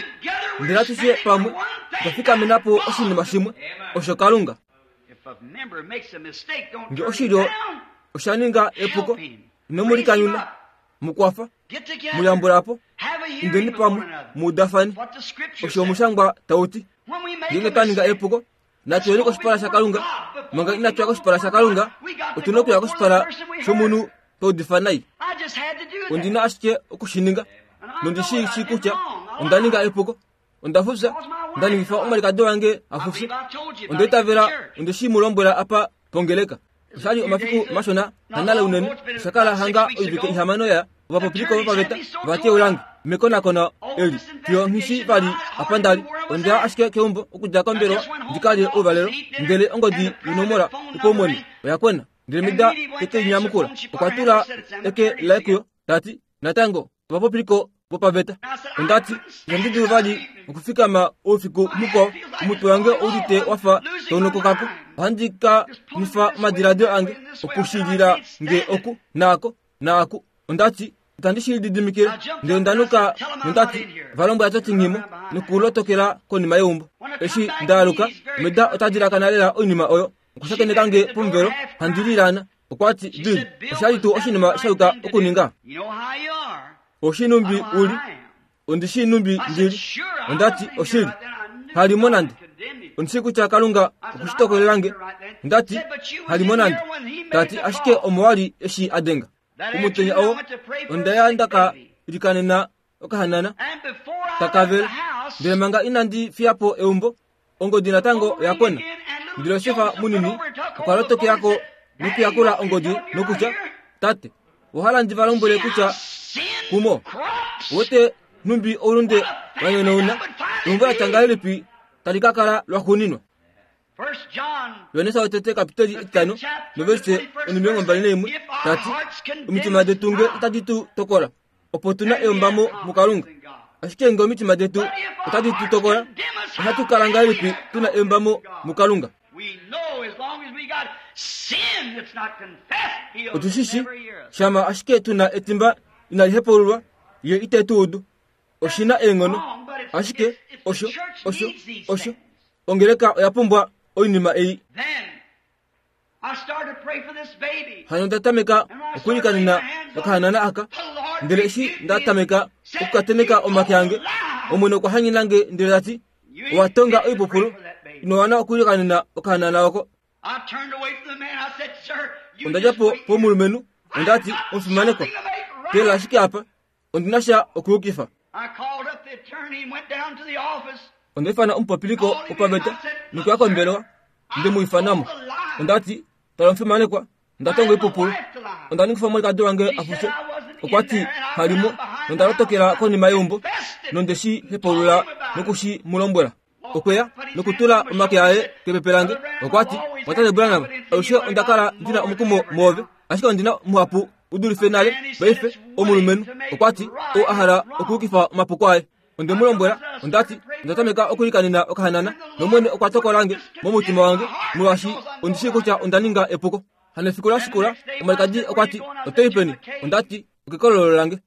Ndele atushe pamwe otwa fikamena po oshinima shimwe osho Kalunga. Nge oshilyo osha ninga epuko inomulikanyuna mukwafa muyambulapo indeni pamwe muudafani osho omushangwa tauti. Ngenge twa ninga epuko natuyeni koshipala shaKalunga. Manga inatuya koshipala shaKalunga otuna okuya koshipala shomunhu taudifa nai. Ondina ashike okushininga nondishi kutya onda ninga epuko onda fufya onda ningifa omwalikadi wange afufye onda itavela ondeshi mu lombwela apa pongeleka. Oshali omafiku mashona hanale unene oshakala hanga oivike ihamano ya ovapopiliko vopaveta vateulange mekonakono eli fiyo nghishi vali apa ndali. Onda ashike keumbo okudja kombelwa ndikalye ouvalelo ndele ongodi yonomola yopaumwene oya kwena ndele mida teke linyamukula okwa tula eke laye kuyo tati natango ovapopiliko vopaveta. Ondati itandi dulu vali okufikama oufiku mukwao omutwe wange oudite wafa taunokokako. Ohandi ka nifa omadiladilo ange okushilila nge oku naako naaku. Ondati itandi shi lididimikile ndele ondanuka nondati valombwela tati nghimo nokulotokela konima yeumbo. Eshi ndaaluka meda ota dilakana lela oinima oyo okushakeneka nge pomuvelo handi lilana. Okwati Bill oshali tuu oshinima shayuka okuninga oshinumbi uli ondishi numbi ndili. Ondati oshili halimo nande ondishi kutya Kalunga okushitokolelange. Ondati halimo nande tati ashike omo wali eshi adenga omutenya oo ondaya ndaka ilikanena okahanana takavele. Ndele manga inandi fiya po eumbo, ongodi natango oya kwena. Ndele Josefa munini okwa lotokelako nokuyakula ongodi nokutya, tate, owahala ndi va lombwele kutya kumo wote numbi oulunde wanyonouna, eumbo latya ngahelipi tali ka kala lwaxuuninwa. Yohannes wotete kapiteli etitano noverse onimilongo mbali naimwe tati, omitima detu nge otadi tu tokola, opo tuna eyombamo muKalunga. Ashike nge omitima detu otadi tu tokola, ohatu kala ngahelipi tuna eyombamo muKalunga? Otushishi shama ashike tuna etimba inali hepaululwa, ye ite tu udu. Oshina eenghono, ashike osho osho osho ongeleka oya pumbwa oinima ei. Hano nda tameka okuilikanena okahanana aka, ndele eshi nda tameka okukateneka omake ange, Omwene okwa hanyena nge ndele tati, owa tonga oipupulu, ino wana okuilikanena okahanana oko. Onda dja po pomulumenhu, onda ti, omufimanekwa, teelela ashike apa, ondi na sha okuyukifa. Onda ifana omupopiliko wopaveta nokuya kombelewa, nde mu ifanamo. Onda ti, tala omufimanekwa, nda tonga oipupulu, onda ningifa omwalikadi wange a fufye. Okwa ti halimo, nonda lotokela konima yeumbo, nonde shi hepaulula noku shi mu lombwela. Okweya nokutula omake aye kepepe lange. Okwa ti, Mwatate Branham, alushe onda kala ndina omukumo mwoove, ashike ondina muhapu u dulife nale paife. Omulumenhu okwa ti, ou a hala okuyukifa omapuko aye. Onde mu lombwela, onda ti, onda tameka okuilikanena okahanana, nOmwene okwa tokola nge momutima wange, molwaashi ondi shii kutya onda ninga epuko. Hano efiku la shikula, omwalikadi okwa ti, oto i peni? Onda ti, okekololo lange.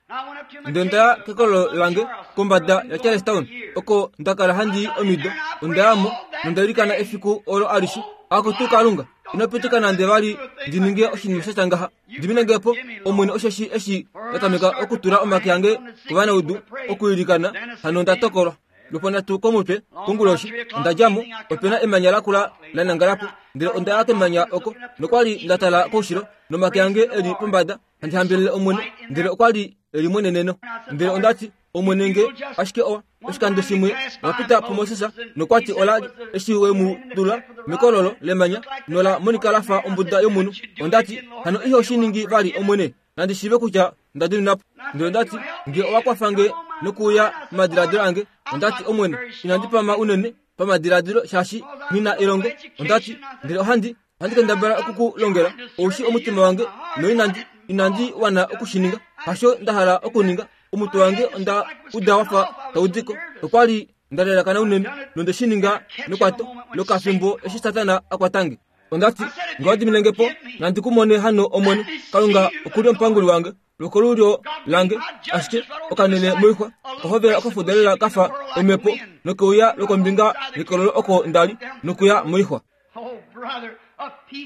Ndele onda ya kekololo lange kombada yaCharlestown, oko nda kala handi i omido. Onda ya mo nonda ilikana efiku olo alishe. Akutu Kalunga, ino pitika nande vali ndi ninge oshinima sha tya ngaha. Dimine nge po, Omwene, osheshi eshi nda tameka okutula omake ange kovanaudu okuilikana, hano nda tokolwa. Lwoponhatu komutwe konguloshi, onda dja mo, ope na emanya lakula la nangala po, ndele onda ya kemanya oko, nokwali nda tala koushilo, nomake ange e li pombada, handi hambelele Omwene, ndele okwa li e li mweneneno. Ndele onda ti, Omwene nge ashike owa, oshikando shimwe wa pita puMoses, nokwa ti ola li eshi we mu tula mekololo lemanya, nola monika la fa ombuda yomunhu. Onda ti, hano iho shi ningi vali, Omwene, nandi shiive kutya nda diminwa po. Ndele onda ti, nge owa kwafa nge nokuuya momadiladilo ange, onda ti, Omwene, inandi pama unene pamadiladilo shaashi nghi na elongo. Onda ti, ndele ohandi ohandi kendabala oku ku longela, ou shi omutima wange, noinandi inandi wana oku shi ninga. Hasho nda hala okuninga. Omutwe wange onda uda wafa tau diko. Okwa li nda lalakana unene, nonde shi ninga nekwato lokafimbo eshi Satana a kwata nge. Onda ti, nge owa dimine nge po, nandi ku mone hano Omwene, Kalunga oku li omupanguli wange, lwokolulyo lange, ashike okanene moixwa, ohovela okafudalela kafa omhepo, nokeuya lwokombinga yekololo oko nda li, nokuya moixwa.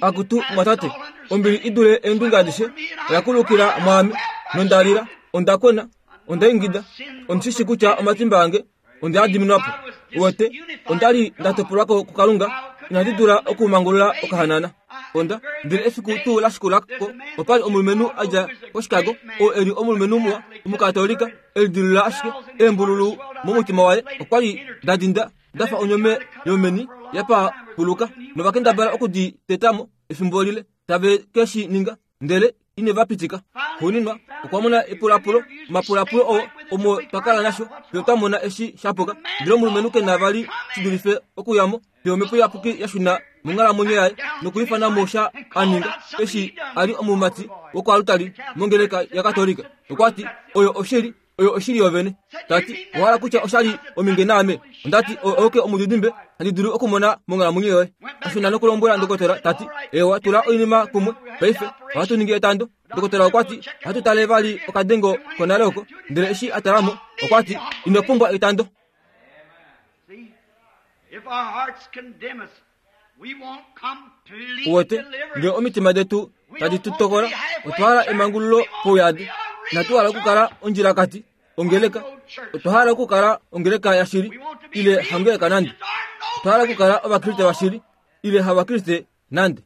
Akutu mwatate, ombili i dule eendunge adishe oya kulukila mwaame, nonda lila, onda kwena, onda ingida, ondi shi shii kutya omatimba ange onde a diminwa po. Uwete, onda li nda topolwa ko kuKalunga, inandi dula okumangulula okahanana. Onda, ndele efiku tuu la shikula ko, opa li omulumenhu a dja koChicago, oo e li omulumenhu muwa, Omukatolika, e lidilula ashike eembululu momutima waye. Okwa li da dinda da fa onyome yomeni ya papuluka, novakendabala oku di teta mo efimbo lile, tave ke shi ninga, ndele ine va pitika. Xuuninwa, okwa mona epulapulo, omapulapulo oo omo twa kala nasho, fiyo twa mona eshi sha puka. Ndele omulumenhu ke na vali shi dulife okuya mo, fiyo Omhepo Iyapuki ya shuna monghalamwenyo yaye nokuifana mo sha a ninga eshi a li omumati wokoalutali mongeleka yaKatolika. Okwa ti, oyo oshili, oyo oshili yovene. Ta ti, owa hala kutya osha li ominge naame? Onda ti, oke omudidimbe handi dulu okumona monghalamwenyo yoye. Ashuna nokulombwela ndokotola, ta ti, ewa, tula oinima kumwe paife, ohatu ningi etando. Ndokotola okwa ti, ohatu tale vali okadengo konale oko. Ndele eshi a tala mo, okwa ti, ino pumbwa etando. Uwete, nge omitima detu tadi tu tokola, otwa hala emangululo pouyadi. Inatu hala okukala ondjilakati, ongeleka. Otwa hala okukala ongeleka yashili, ile hangeleka nande. Otwa hala okukala Ovakriste vashili, ile havakriste nande.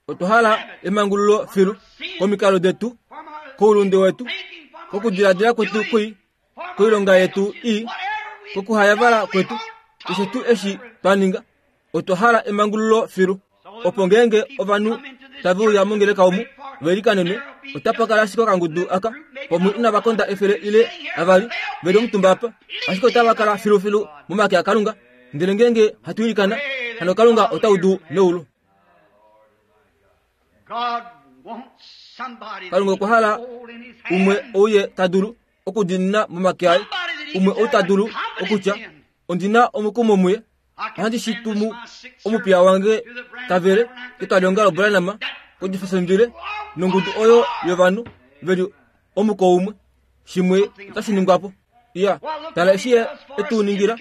Otwa hala emangululo filu komikalo detu, koulunde wetu, kokudiladila kwetu kwii, Koilonga yetu ii, kokuhayavala kwetu, keshe tuu eshi twa ninga, otwa hala emangululo filu. Opo ngeenge ovanhu tave uya mongeleka omu veilikanenwe, otapa kala ashike okangudu aka pomwe inava konda efele ile avali veli omutumba apa, ashike otava kala filufilu momake aKalunga. Ndele ngeenge hatu ilikana, hano Kalunga ota udu meulu. Kalunga okwa hala umwe ouye ta dulu okudiinina momake aye, umwe ou ta dulu okutya, ondina omukumo muye, ohandi shi tumu omupiya wange tavele ketwalihongalo Branham kojefesondile nongudu oyo yovanhu veli omuko umwe, shimwe otashi ningwa po. Iya, tala eshi ye etu ningila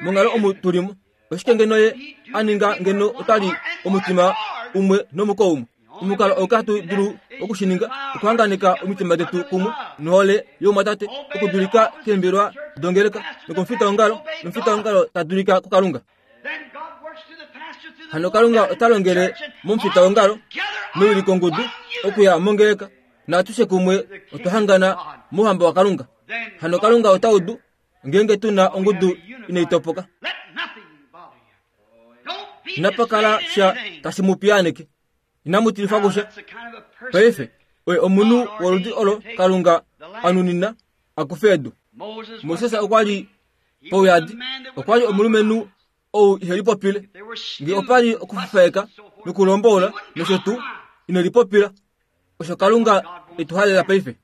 monghalo omu tulimo. Oshike ngeno ye a ninga ngeno otali omutima umwe nomuko umwe? Omukalo oo katu dulu okushininga okuhanganeka omitima detu kumwe nohole youmwatate, okudulika keembelwa dongeleka nokomufitaongalo, nomufitaongalo ta dulika kuKalunga. Hano Kalunga ota longele momufitaongalo mewilikongudu okuya mongeleka, naatushe kumwe otwa hangana mouhamba waKalunga. Hano Kalunga ota udu ngeenge tuna ongudu inai topoka. Inapa kala sha tashi mu piyaaneke. Inamu tilifwa kusha. Paife oye omunhu woludi olo Kalunga a nunina a kufe edu. Moses okwa li pouyadi, okwa li omulumenhu ou ihe lipopile. Nge opa li okufufaeka nokulomboula nosho tuu, ine lipopila. Osho Kalunga e tu halela paife.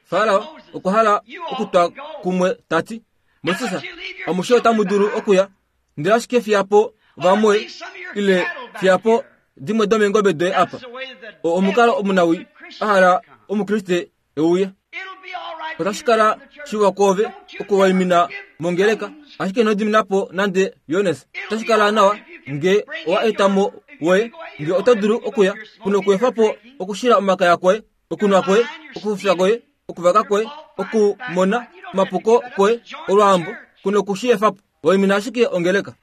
Farao okwa hala okutwa kumwe ta ti, Moses, amushe otamu dulu okuya, ndele ashike fiya po vamwe ile fiya po dimwe domeengobe doye apa. O omukalo omunawi a hala omukriste euye. Otashi kala shiwa kwoove okuwaimina mongeleka, ashike ino dimina po nande Jonas. Otashi kala nawa nge owa eta mo woye, nge oto dulu okuya, kuno okuefa po okushila omakaya kwoye, okunwa kwoye, okufufya kwoye, okuvaka kwoye, okumona omapuko kwoye, olwaambo, kuno okushi efa po. Waimina ashike ongeleka.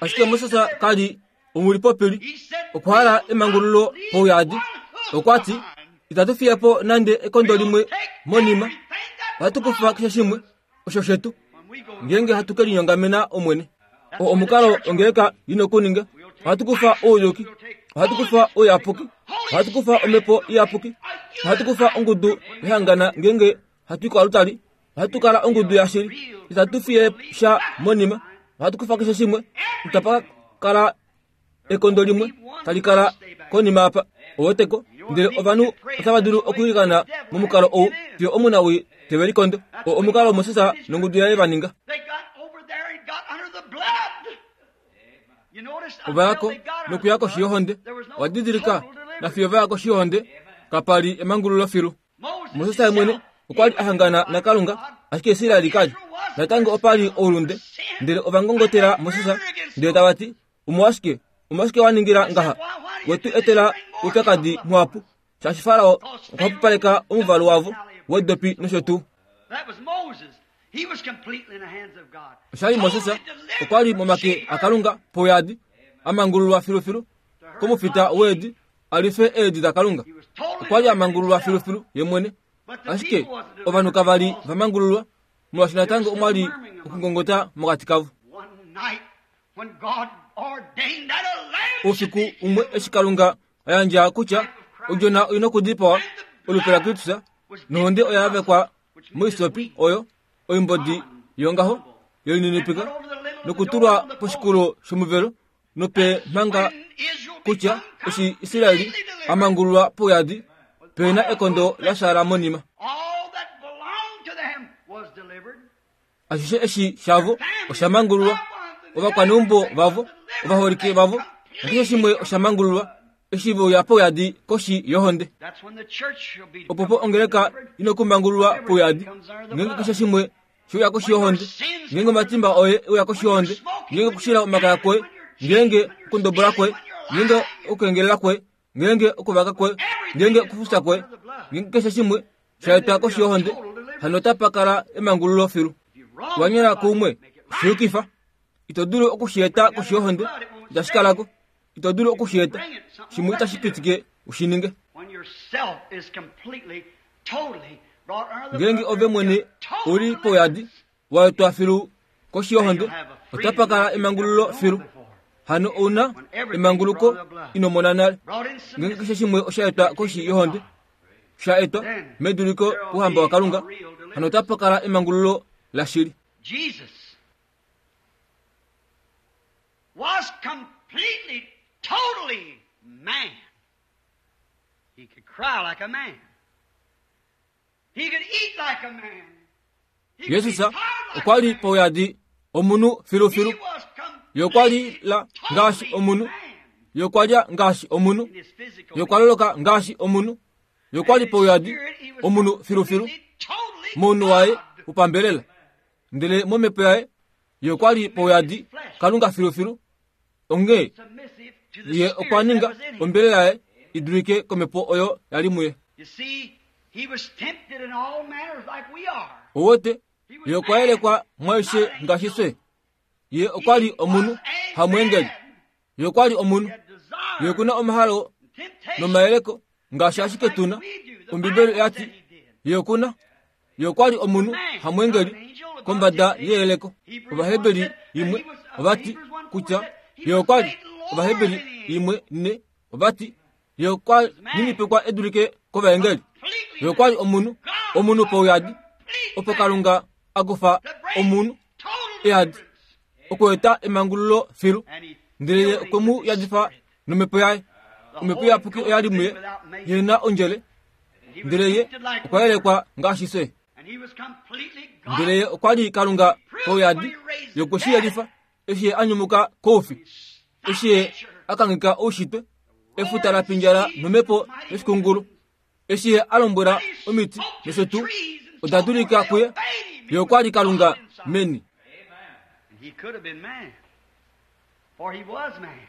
Ashike Moses ka li omulipopili, okwa hala emangululo pouyadi. Okwa ti, itatu fiya po nande ekondo limwe monima, ohatu kufa keshe shimwe osho shetu ngeenge hatu ke linyongamena Omwene. O omukalo ongeleka ina okuninga. Ohatu kufa ouyuki, ohatu kufa ouyapuki, ohatu kufa omhepo iyapuki, ohatu kufa ongudu yehangana ngeenge hatu i koalutali, ohatu kala ongudu yashili, itatu fiye sha monima, ohatu kufa keshe shimwe, itapa kala ekondo limwe tali kala konima apa. Oweteko, ndele ovanhu otava dulu okwiilikana momukalo ou fiyo omunawi teve likondo. O omukalo Moses nongudu yaye va ninga. Ova ya ko nokuya koshi yohonde. Owa didilika, nafiyo va ya koshi yohonde, kapa li emangululo filu. Moses ye mwene okwa li a hangana naKalunga, ashike Israel ka li. Natango opa li oulunde, ndele ova ngongotela Moses, ndele tava ti, omolwashike, omolwashike wa ningila ngaha? We tu etela oupyakadi muhapu, shaashi Farao okwa pupaleka omuvalu wavo wedopi nosho tuu. Osha li Moses okwa li momake aKalunga pouyadi, a mangululwa filufilu komufita weedi, a life eedi daKalunga. Okwa li a mangululwa filufilu ye mwene, ashike ovanhu kava li va mangululwa, molwaashi natango omwa li okungongota mokati kavo. Oufiku umwe eshi Kalunga a yandja kutya odjona oina okudipawa, olupe laKristus, nohonde oya yavekwa moisopi oyo oimbodi yongaho yoininipika, nokutulwa poshikulo shomuvelo, nope manga kutya eshi Israeli a mangululwa pouyadi, pena ekondo la shaala monima. Ashishe eshi shavo osha mangululwa, ovakwaneumbo vavo, ovaholike vavo, nakeshe shimwe osha mangululwa eshi ve uya pouyadi koshi yohonde. Opo po ongeleka ina okumangululwa pouyadi, ngeenge keshe shimwe she uya koshi yohonde, ngeenge omatimba oye e uya koshi yohonde, ngeenge okushila omakaya kwoye, ngeenge okundobola kwoye, ngeenge okukengelela kwoye, ngeenge okuvaka kwoye, ngeenge okufufya kwoye, ngeenge keshe shimwe sha etwa koshi yohonde, hano otapa kala emangululo filu. Wanyona kuumwe, shi yukifa. Ito dulu okushi eta koshi yohonde, itashi kalako. Ito dulu okushi eta, shimwe itashi pitike u shi ninge. Ngeenge ove mwene uli pouyadi waetwa filu koshi yohonde, otapa kala emangululo filu. Hano ouna emanguluko ino mona nale. Ngeenge keshe shimwe osha etwa koshi yohonde, sha etwa meduliko kuhamba waKalunga, hano otapa kala emangululo lashili. Jesus was completely, totally man. He could cry like a man. He could eat like a man. He could be Jesus tired like okwa a li man. pouyadi omunhu filufilu. He was Ye okwa li la ngaashi completely omunhu, man ye okwa lya ngaashi omunhu, in his physical ye okwa loloka ngaashi omunhu, ye okwa li pouyadi omunhu filufilu totally mounhu waye God. wopambelela. Ndele momhepo yaye ye okwa li pouyadi Kalunga filufilu. Onghee Submissive to the ye spirit okwa that ninga was in him. ombelela yaye i dulike komhepo oyo yali muye. You see, he was tempted in all manners like we are. Owete ye okwa yelekwa mwaishe ngaashi fye. Ye okwa li omunhu hamweengeli. Ye okwa li omunhu. He had desires Ye okuna omahalo and temptations nomayeleko ngaashi ashike tuna. Ombibeli oya ti ye okuna. Ye okwa li omunhu hamweengeli kombada yeyeleko. Ovaheberi imwe ovati kutya ye okwa li Ovaheberi imwe ne ovati ye okwa ninipikwa edulike kovaengeli. completely Ye okwa li omunhu, omunhu pouyadi, opo Kalunga a kufa omunhu total eyadi deliverance. okueta emangululo filu. And he Ndele ye filled him okwe mu with his yadifa spirit. nomhepo yaye. Omhepo iyapuki oya li muye, ye na ondjele. He was Ndele ye tempted like okwa we are. yelekwa ngaashi fye. And he was completely God. Ndele ye okwa li Kalunga pouyadi, ye okwe shi yelifa eshi ye a nyumuka koufi, eshi ye a kangheka oushitwe, efuta la pindjala nomhepo yoshikungulu, eshi ye a lombwela omiti nosho tuu, oda dulika kuye. Ye okwa li Kalunga meni. And he could have been man. For he was man.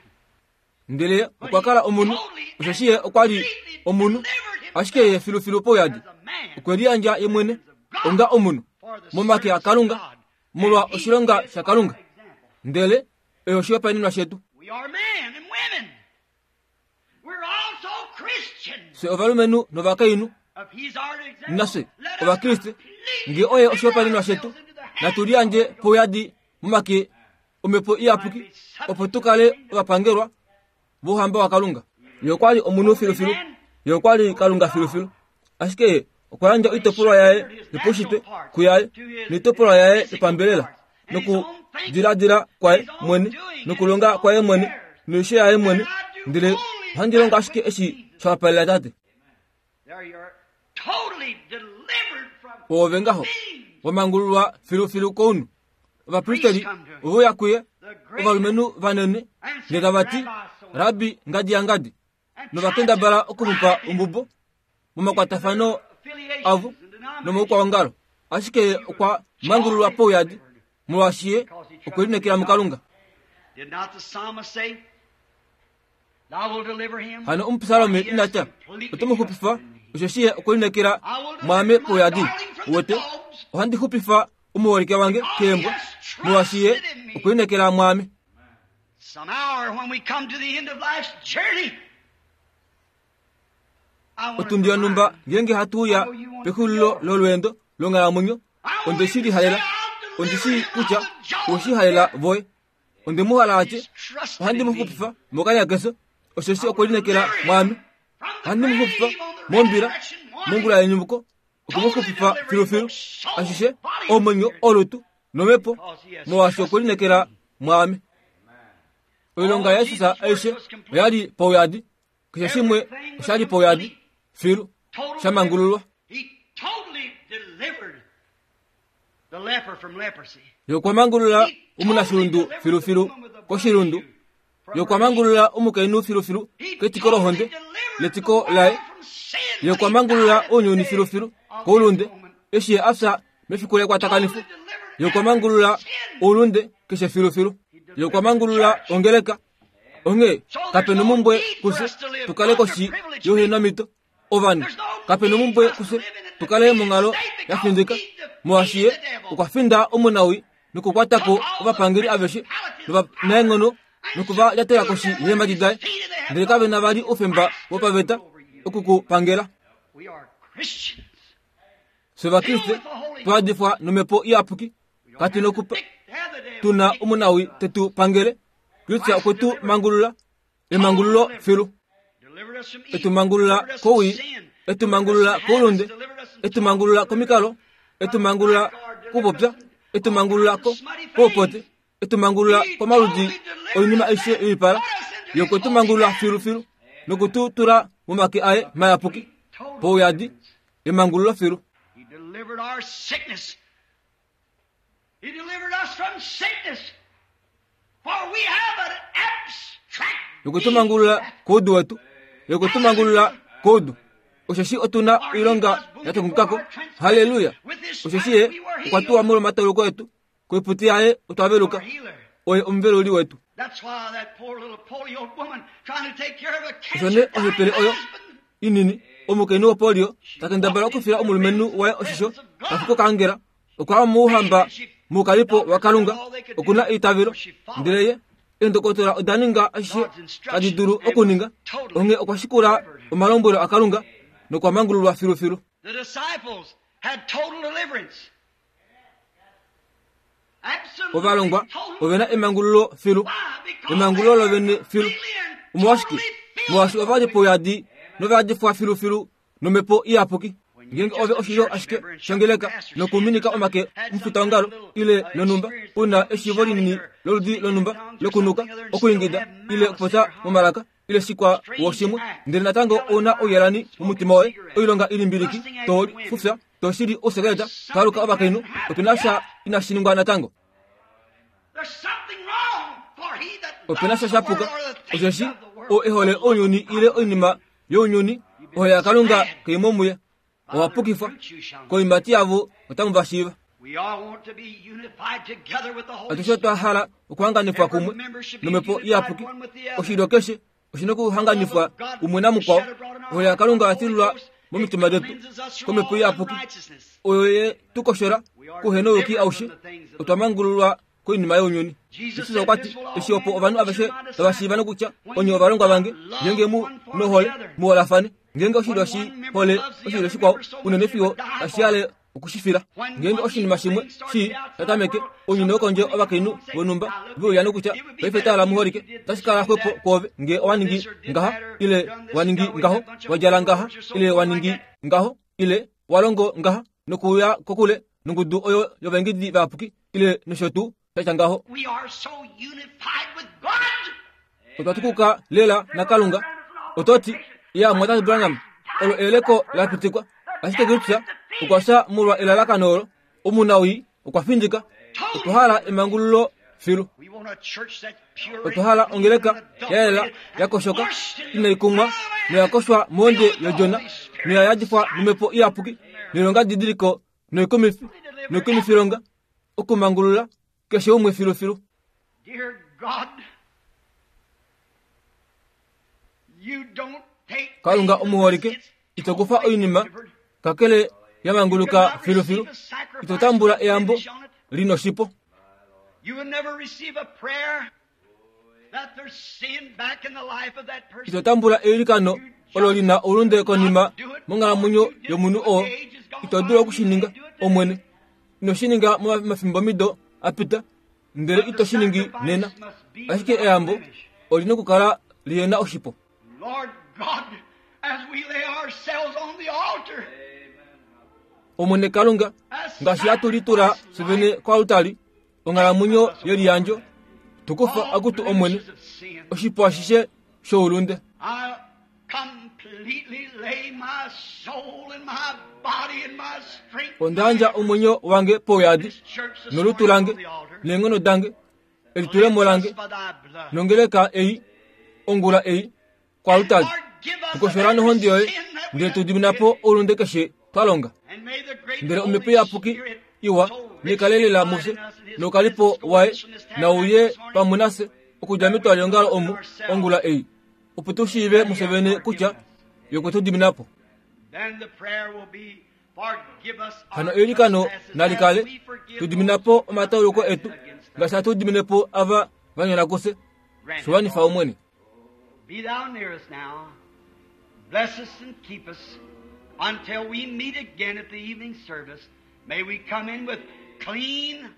Ndele okwa kala omunhu, osheshi ye okwa li omunhu, ashike ye filufilu pouyadi As a man. okwe liyandja ye mwene onga omunhu For the momake service of aKalunga God. molwa And he oshilonga is shaKalunga. our example. Ndele oyo oshihopaenenwa shetu. We are men and women. We're also Christians. Fye ovalumenhu novakainhu If he's our example, nafye let us ovakriste, completely ngee oye oshihopaenenwa shetu, ourselves into the hands natu liyandje pouyadi momake omhepo iyapuki, opo tu kale ovapangelwa vouhamba waKalunga. Ye okwa li omunhu filufilu, ye okwa li Kalunga filufilu, ashike ye okwa yandja oitopolwa yaye yopaushitwe kuyaye noitopolwa yaye yopambelela, nokudiladila kwaye mwene, nokulonga kwaye mwene, noisho yaye mwene. Ndele ohandi longo ashike eshi sha wapalela Tate. There you are, totally delivered from Oove ngaho being wamangululwa filufilu kounhu. Ovapristeli ove uya kuye, ovalumenhu vanene, ndele tava ti, Rabbi ngadi ya ngadi, and novakendabala okumupa ombubo momakwatafano avo nomoukwaongalo. Ashike ye okwa mangululwa pouyadi, molwaashi ye okwe lineekela muKalunga. Did not the psalmist say, Thou wilt deliver him? Hano omupsalome ina tya, oto mu xupifa, osheshi ye okwe lineekela mwaame pouyadi. Uwete, ohandi xupifa omuholike wange keembwa, molwaashi ye okwe lineekela mwaame. Some hour when we come to the end of life's journey, I want Otundi yonhumba ngeenge hatu uya pexulilo lolweendo longhalamwenyo, onde shi lihalela, onde shi kutya oweshi halela voye. Onde mu hala atye, ohandi mu xupifa mokanya keso, osheshi okwe lineekela mwaame. Ohandi mu xupifa mombila, mongula yenyumuko, okwe mu xupifa filufilu, ashishe omwenyo, olutu nomhepo, molwaashi okwe lineekela mwaame. Oilonga yaJesus aishe oya li pouyadi, keshe shimwe osha li pouyadi filu sha mangululwa. He totally delivered the leper from leprosy. Ye okwa mangulula omunashilundu filufilu koshilundu. Ye okwa mangulula omukainhu filufilu ketiko lohonde letiko laye. Ye okwa mangulula ounyuni filufilu koulunde eshi ye a fya mefiku lekwatakanifo. Ye okwa mangulula oulunde keshe filufilu. Ye okwa mangulula ongeleka. Onghee kapena omumbwe kufye tukale koshi youhenamito ovanhu. Kapena omumbwe kufye tukale monghalo ya findika, molwaashi ye okwa finda omunawii nokukwatako ovapangeli aveshe novanaenghono nokuva lyatela koshi yeemhadi daye. Ndele kave na vali oufemba wopaveta okukupangela. We are Christians. Fye Ovakriste twadifwa nomhepo iyapuki, katu nokupa tuna omunawi tetu pangele. Kristus okwe tu mangulula, emangululo filu. Delivered us from evil. Etu mangulula Delivered us from kowii, sin. etu mangulula koulunde, etu mangulula komikalo, etu mangulula kupopya, etu mangulula ko koupote, etu mangulula komaludi oinima aishe yoipala, ye okwe tu mangulula filufilu noku tu tula momake aye mayapuki pouyadi emangululo filu. He delivered our sickness. He delivered us from sickness. For we have an abstract Okwe tu mangulula koudu wetu, ye okwe tu mangulula koudu. Osheshi otuna oilonga ya tungukako. Haleluya! Osheshi ye okwa tuwa molwomatauluko etu, koiputi yaye otwa veluka. healer. Oye omuveluli wetu. That's why that poor little polio woman trying to take care of a Osho nee cancer ohepele oyo husband. inini omukainhu wopolio takendabala okufila omulumenhu waye oshisho tafika okaangela. Okwa mouhamba moukalipo waKalunga okuna eitavelo, ndele ye eendokotola oda ninga ashishe tadi dulu okuninga. Onghee okwa shikula omalombwelo aKalunga nokwa mangululwa filufilu. The disciples had total deliverance. Absolutely Ovalongwa total. ovena emangululo filu, Why? Because emangululo they lovene were filu. completely and Omolwashike? totally filled Molwaashi with ova li the Holy pouyadi novayadifwa filufilu nomhepo iyapuki. Ngeenge ove oshilyo ashike shongeleka nokuminika omake omufitaongalo ile lonhumba, una eshiivo linini loludi lonhumba lokunuka, okuingida ile okupopya momalaka ile shikwa woshimwe, ndele natango ouna ouyelani momutima woye, oilonga ilimbiliki, to fufya, to shili ousekeleta, to aluka ovakainhu, opena sha inashi ningwa natango. There's something wrong for he that Opena loves sha the sha world puka, or the things osheshi of the world. oo ehole ounyuni ile oinima younyuni, ohole yaKalunga kai mo muye. Owa pukifwa koiimati yavo otamu va shiiva. We all want to be unified together with the Holy Atushe Spirit. twa hala okuhanganifwa kumwe nomhepo iyapuki. Oshilyo keshe oshina okuhanganifwa umwe namukwao. Ohole yaKalunga oya tilulwa momitima detu komhepo iyapuki, oyo ye tu koshola kuhenouyuki aushe. Otwa mangululwa koinima younyuni. Jesus okwa ti, eshi opo ovanhu aveshe tava shiiva nokutya onye ovalongwa vange, ngeenge mu nohole muholafane. Ngeenge oshilyo shi hole oshilyo shikwao unene fiyo tashi yale okushifila. Ngeenge oshinima shimwe shii tatameke ounyuni wokondje ovakainhu vonhumba veuya nokutya paife tala muholike, otashi kala xwepo kwoove ngee owa ningi ngaha ile wa ningi ngaho, wa djala ngaha ile wa ningi ngaho ile wa longo ngaha, nokuuya kokule nongudu oyo yovaengedi vayapuki ile nosho tuu shatya ngaho. We are so unified with God. Otwa tukuka lela naKalunga. Ototi ya mwatate Branham olo eleko la pitikwa, ashike Kristus okwa fya molwa elalakano olo. Omunawii okwa findika. Otwa hala emangululo filu. We want a church that's pure Otwa hala ongeleka ya yela ya koshoka inai kumwa noya koshwa mohonde yodjona noya yadifwa nomhepo iyapuki noilonga didiliko noikumifi noikumifilonga okumangulula keshe umwe filufilu. Dear God, you don't take Kalunga omuholike, ito kufa oinima kakele ya manguluka filufilu. Ito tambula eyambo linoshipo. You will never receive a prayer that there's sin back in the life of that person. Ito tambula eilikano olo lina oulunde konima monghalamwenyo yomunhu oo. Ito dulu okushininga omwene. Ino shininga momafimbomido apita, ndele ito shiningi nena. Ashike eyambo olina okukala lihena oshipo. Lord God, as we lay ourselves on the altar, Omwene Kalunga, ngaashi hatu litula fye vene koaltari, onghalamwenyo yeliyandjo, tukufa akutu Omwene, blemishes of sin, oshipo ashishe shoulunde. I completely lay my soul and my body and my strength. Onda yandja omwenyo wange pouyadi, This church this nolutu morning lange, on the altar. neenghono dange, elitulemo lange, By thy blood. nongeleka ei, ongula ei, koaltari. Lord, give us Tukoshola nohonde yoye, every sin that we ndele tu have dimina po committed. oulunde keshe twa longa. And may the great Ndele Holy omhepo iyapuki Spirit iwa so richly nekalelela abide mufye in us and his nokalipo presence go waye with us from this nauye tabernacle this morning. pamwe nafye okudja metwali leongalo omu ongula ei, opo tu shiive mufye vene kutya ye okwe tu dimina po. Then the prayer will be, forgive us our Hano eilikano trespasses nali kale as we forgive tu dimina po omatauluko etu ngaashi hatu dimine po ava va nyona kufye. Grant it, Shiwanifa Lord. Omwene. Be thou near us now. Bless us and keep us until we meet again at the evening service. May we come in with clean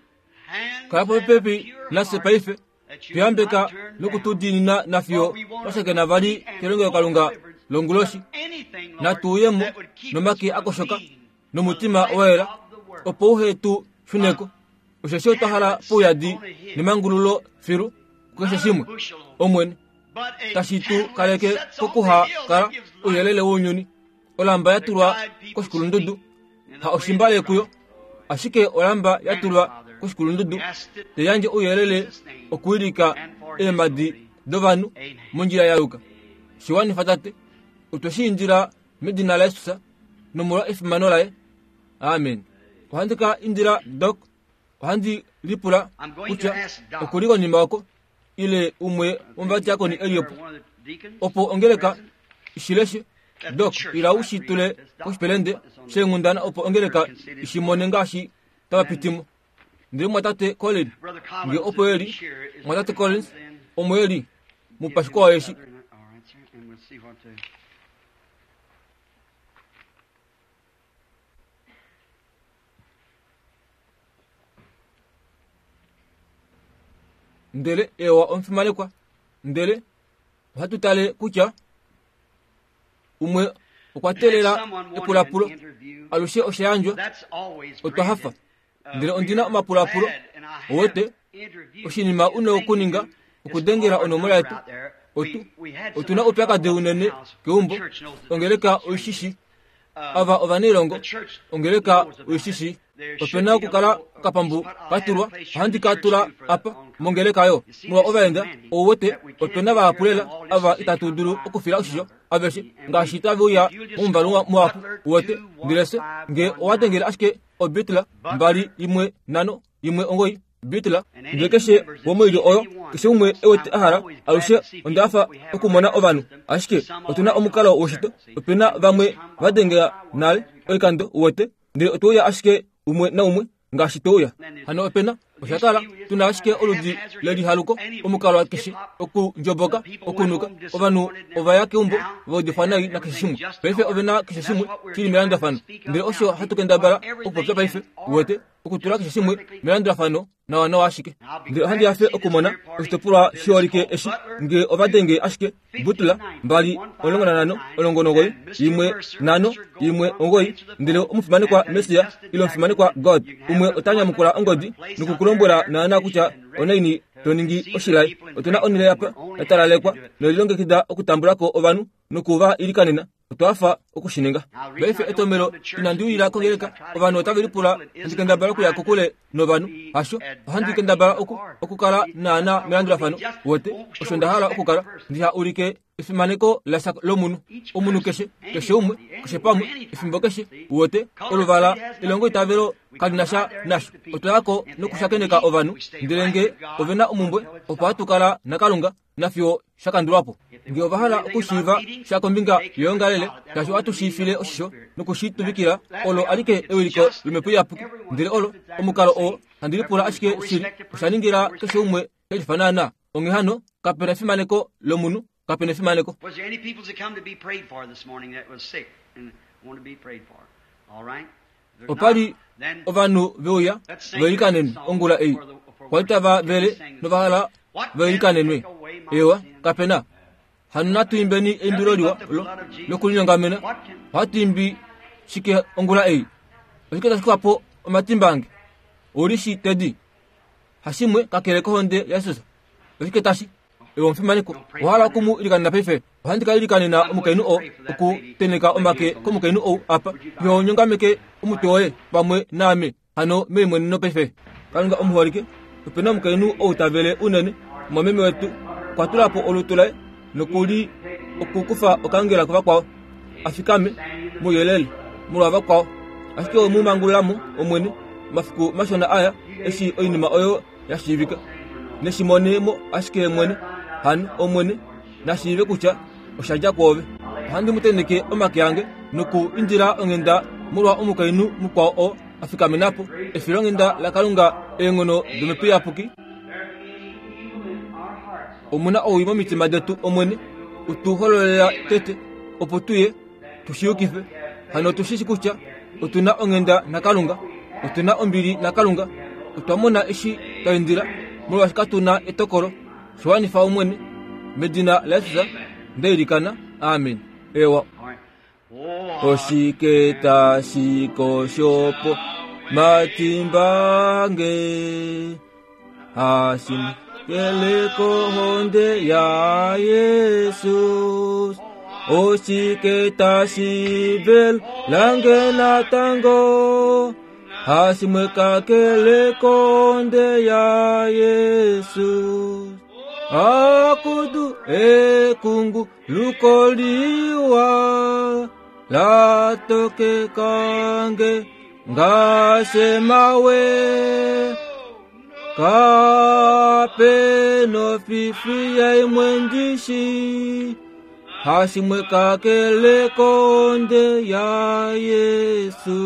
hands Kala and a popepi pure nafye heart paife that you tuyambeka not turn down. nokutudiinina nafiyo twashakena vali kelongelokalunga longuloshi Anything, Lord, natuuyemo that would keep us nomake from akoshoka being nomutima the wa yela light of the world. opo uhe tu shuneko osheshi otwa hala pouyadi nemangululo filu kukeshe shimwe omwene But a tashi tu candle that kaleke sets on the kokuha hill kala that gives light ouyelele wounyuni olamba ya tulwa koshikulundudu ha oshimbale kuyo ashike olamba ya tulwa koshikulundudu teyandje ouyelele okuwilika eemadi dovanhu mondjila ya yuka shiwanifa tate otwe shi indila medina laYesus nomolwa efimano laye amen ohandi ka indila dok ohandi lipula kutya okuli konima oko ile umwe womuvadiakoni eli opo One of the deacons opo ongeleka ishileshe dok ila u shi tule koshipelende sheenghundana opo ongeleka ishimone ngaashi tava pitimo ndele mwatate Collins Brother nge Collins opo eli is here. Is mwatate Brother Collins Collins in? omo eli mupashiko All wayeshi right, sir, and we'll see what to. Ndele ewa omufimanekwa ndele ohatu tale kutya umwe okwa teelela Someone wanted epulapulo an interview. alushe osha yandjwa That's always otwa hafa granted. Uh, ndele we ondina are omapulapulo glad, and I have owete interviewed. oshinima The une thing okuninga to do is okudengela call our onomola number yetu out there. otu We- we had so otuna much oupyakadi trouble at unene the house. keumbo The church knows that ongeleka this is oishishi Uh, ava ovanailongo the church ongeleka knows about it. oishishi There should opena be a okukala little- okapambu I'll have katulwa a place here ohandi in the ka church tula too for the apa oncoming. mongeleka yo You see, molwa there's so ovaenda many ouwete that we can't opena take care of vahapulela them all just ava as they itatu come dulu by okufila oshisho number. aveshe And ngaashi we- tave uya if you'll just momuvalu call muhapu Butler uwete ndele se nge owadengele ashike obitla mbali imwe nhano imwe ongoi bitla ndele keshe womoilyo oyo keshe umwe ewete ahala alushe ondafa okumona ovanhu ashike otuna omukalo woshito opena vamwe vadengela nale oikando uwete ndele otweuya ashike umwe naumwe ngaashi tweuya hano opena oshakala tuna ashike oludi lelihaluko omukalo keshe okundjoboka okunuka ovanhu ovaya keumbo vaudifwa nai nakeshe shimwe paife ovena keshe shimwe shili melandulafano ndele osho hatu kendabala okupopya paife uwete okutula keshe shimwe melandulafano nawa nawa ashike ndele ohandi hafe okumona oshitopolwa shiholike eshi nge ovadenge ashike butula mbali omulongo nanhano omulongo nomugoyi imwe nhano imwe omugoyi ndele omufimanekwa Messiah ile omufimanekwa God umwe ota nyamukula ongodi nokukulombwela naana kutya onaini to ningi oshilai otuna onhele apa ya talalekwa noilongekida okutambulako ovanhu nokuva ilikanena otwafa okushininga paife etomelo inandi uyila kongeleka ovanhu otave lipula handi kendabala okuya kokule novanhu hasho ohandi kendabala oku okukala naana melandulafano wote osho nda hala okukala ndiha ulike efimaneko lasha lomunhu omunhu keshe keshe umwe keshe pamwe efimbo keshe wote oluvala elongo itavelo kalina sha nasho otwayako nokushakeneka ovanhu ndele nge ovena omumbwe opo hatu kala nakalunga nafiyo shakandulwapo nge ova hala okushiiva sha kombinga yoyongalele ngaashi ohatu shiifile oshisho nokushituvikila olo alike ewiliko lomhepo iyapuki ndele olo omukalo oo handi lipula ashike shili osha ningila keshe umwe shelifa naana onghee hano kapena efimaneko lomunhu kapena efimaneko Was there any people that come to be prayed for this morning that was sick and want to be prayed for? All right? If there's opali not, then ovanhu veuya veilikanenwe ongula ei kwali tava vele novahala veilikanenwe ewa kapena hano natu imbeni eimbilo liwa lo lokulinyongamena ohatu imbi shike ongula ei oshike tashi kufapo omatimba ange ouli shi tedi hashimwe kakele kohonde yaJesus oshike tashi ewe omufimaneko owahala okumu ilikanena paife ohandi ka ilikanena omukainhu oo okuteneka omake komukainhu ou apa yo nyongameke omutwe woye pamwe naame hano meimweneno paife kalunga omuholike opena omukainhu ou tavele unene omwameme wetu okwa tula po olutu laye nokuli okukufa okangela kuvakwao afikame mouyelele molwa vakwao ashike omu mangululamo omwene omafiku mashona aya eshi oinima oyo yashiivika neshimonemo ashike mwene hano omwene nashiive kutya oshadja kwoove ohandi mu teneke omake ange noku indila onghenda molwa omukainhu mukwao oo afikamenapo efilonghenda lakalunga eenghono domhepo iyapuki omuna owii momitima detu omwene utu hololela tete Opo tuye tushiyukife hano tushishi kutya otuna onghenda naKalunga, otuna ombili naKalunga, otwa mona eshi twa indila, molwaashi katuna etokolo. Shiwanifa Omwene, medina laJesus ndeilikana, amen. Ewa. Oshike tashi koshopo matimbange hashimkele kohonde ya Yesus. Oshike tashi vel lange natango hashimwekakele kohonde ya Yesus. Akudu ekungu lukoliwa latoke kange ngasemawe kapeno fifi ya imwendishi hashimwekakele konde ya Yesu.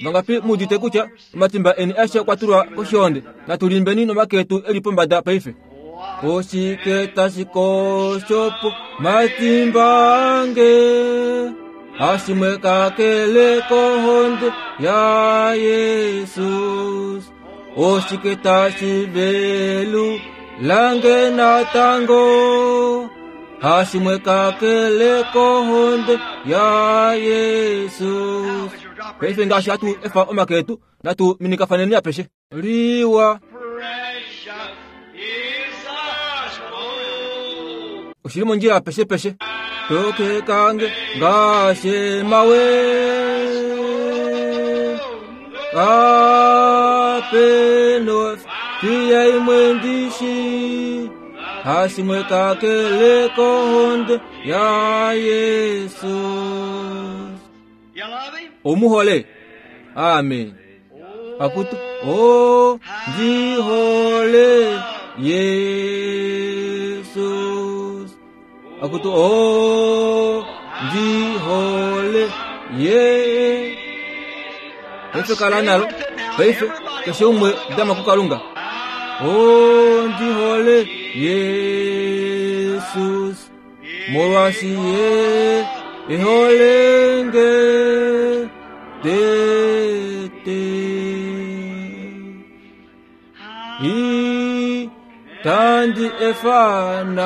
Vangapi mudite kutya omatimba eni ashe kwatulwa koshihonde natulimbeni nomaketu eli pombada paife. Oshike tashi koshopo matimbange hashimwekakele kohonde ya Yesus. Oshike tashi velu lange natango hashimwekakele kohonde ya Yesus. Paife ngaashi hatu efa omaketu natu minikafaneni apeshe liwa. Oshili mondjila peshe peshe toke kange ngashe mawe kapeno fiya imwendishi hashimwekakele kohonde ya Yesus. Omuhole. Amen. Akutu o ndihole Yesus. Akutu o ndihole ye. Paife kala nalo. Paife keshe umwe dama kukalunga. O ndihole Yesus. Molwashi ye iholenge tete. I tandi efanande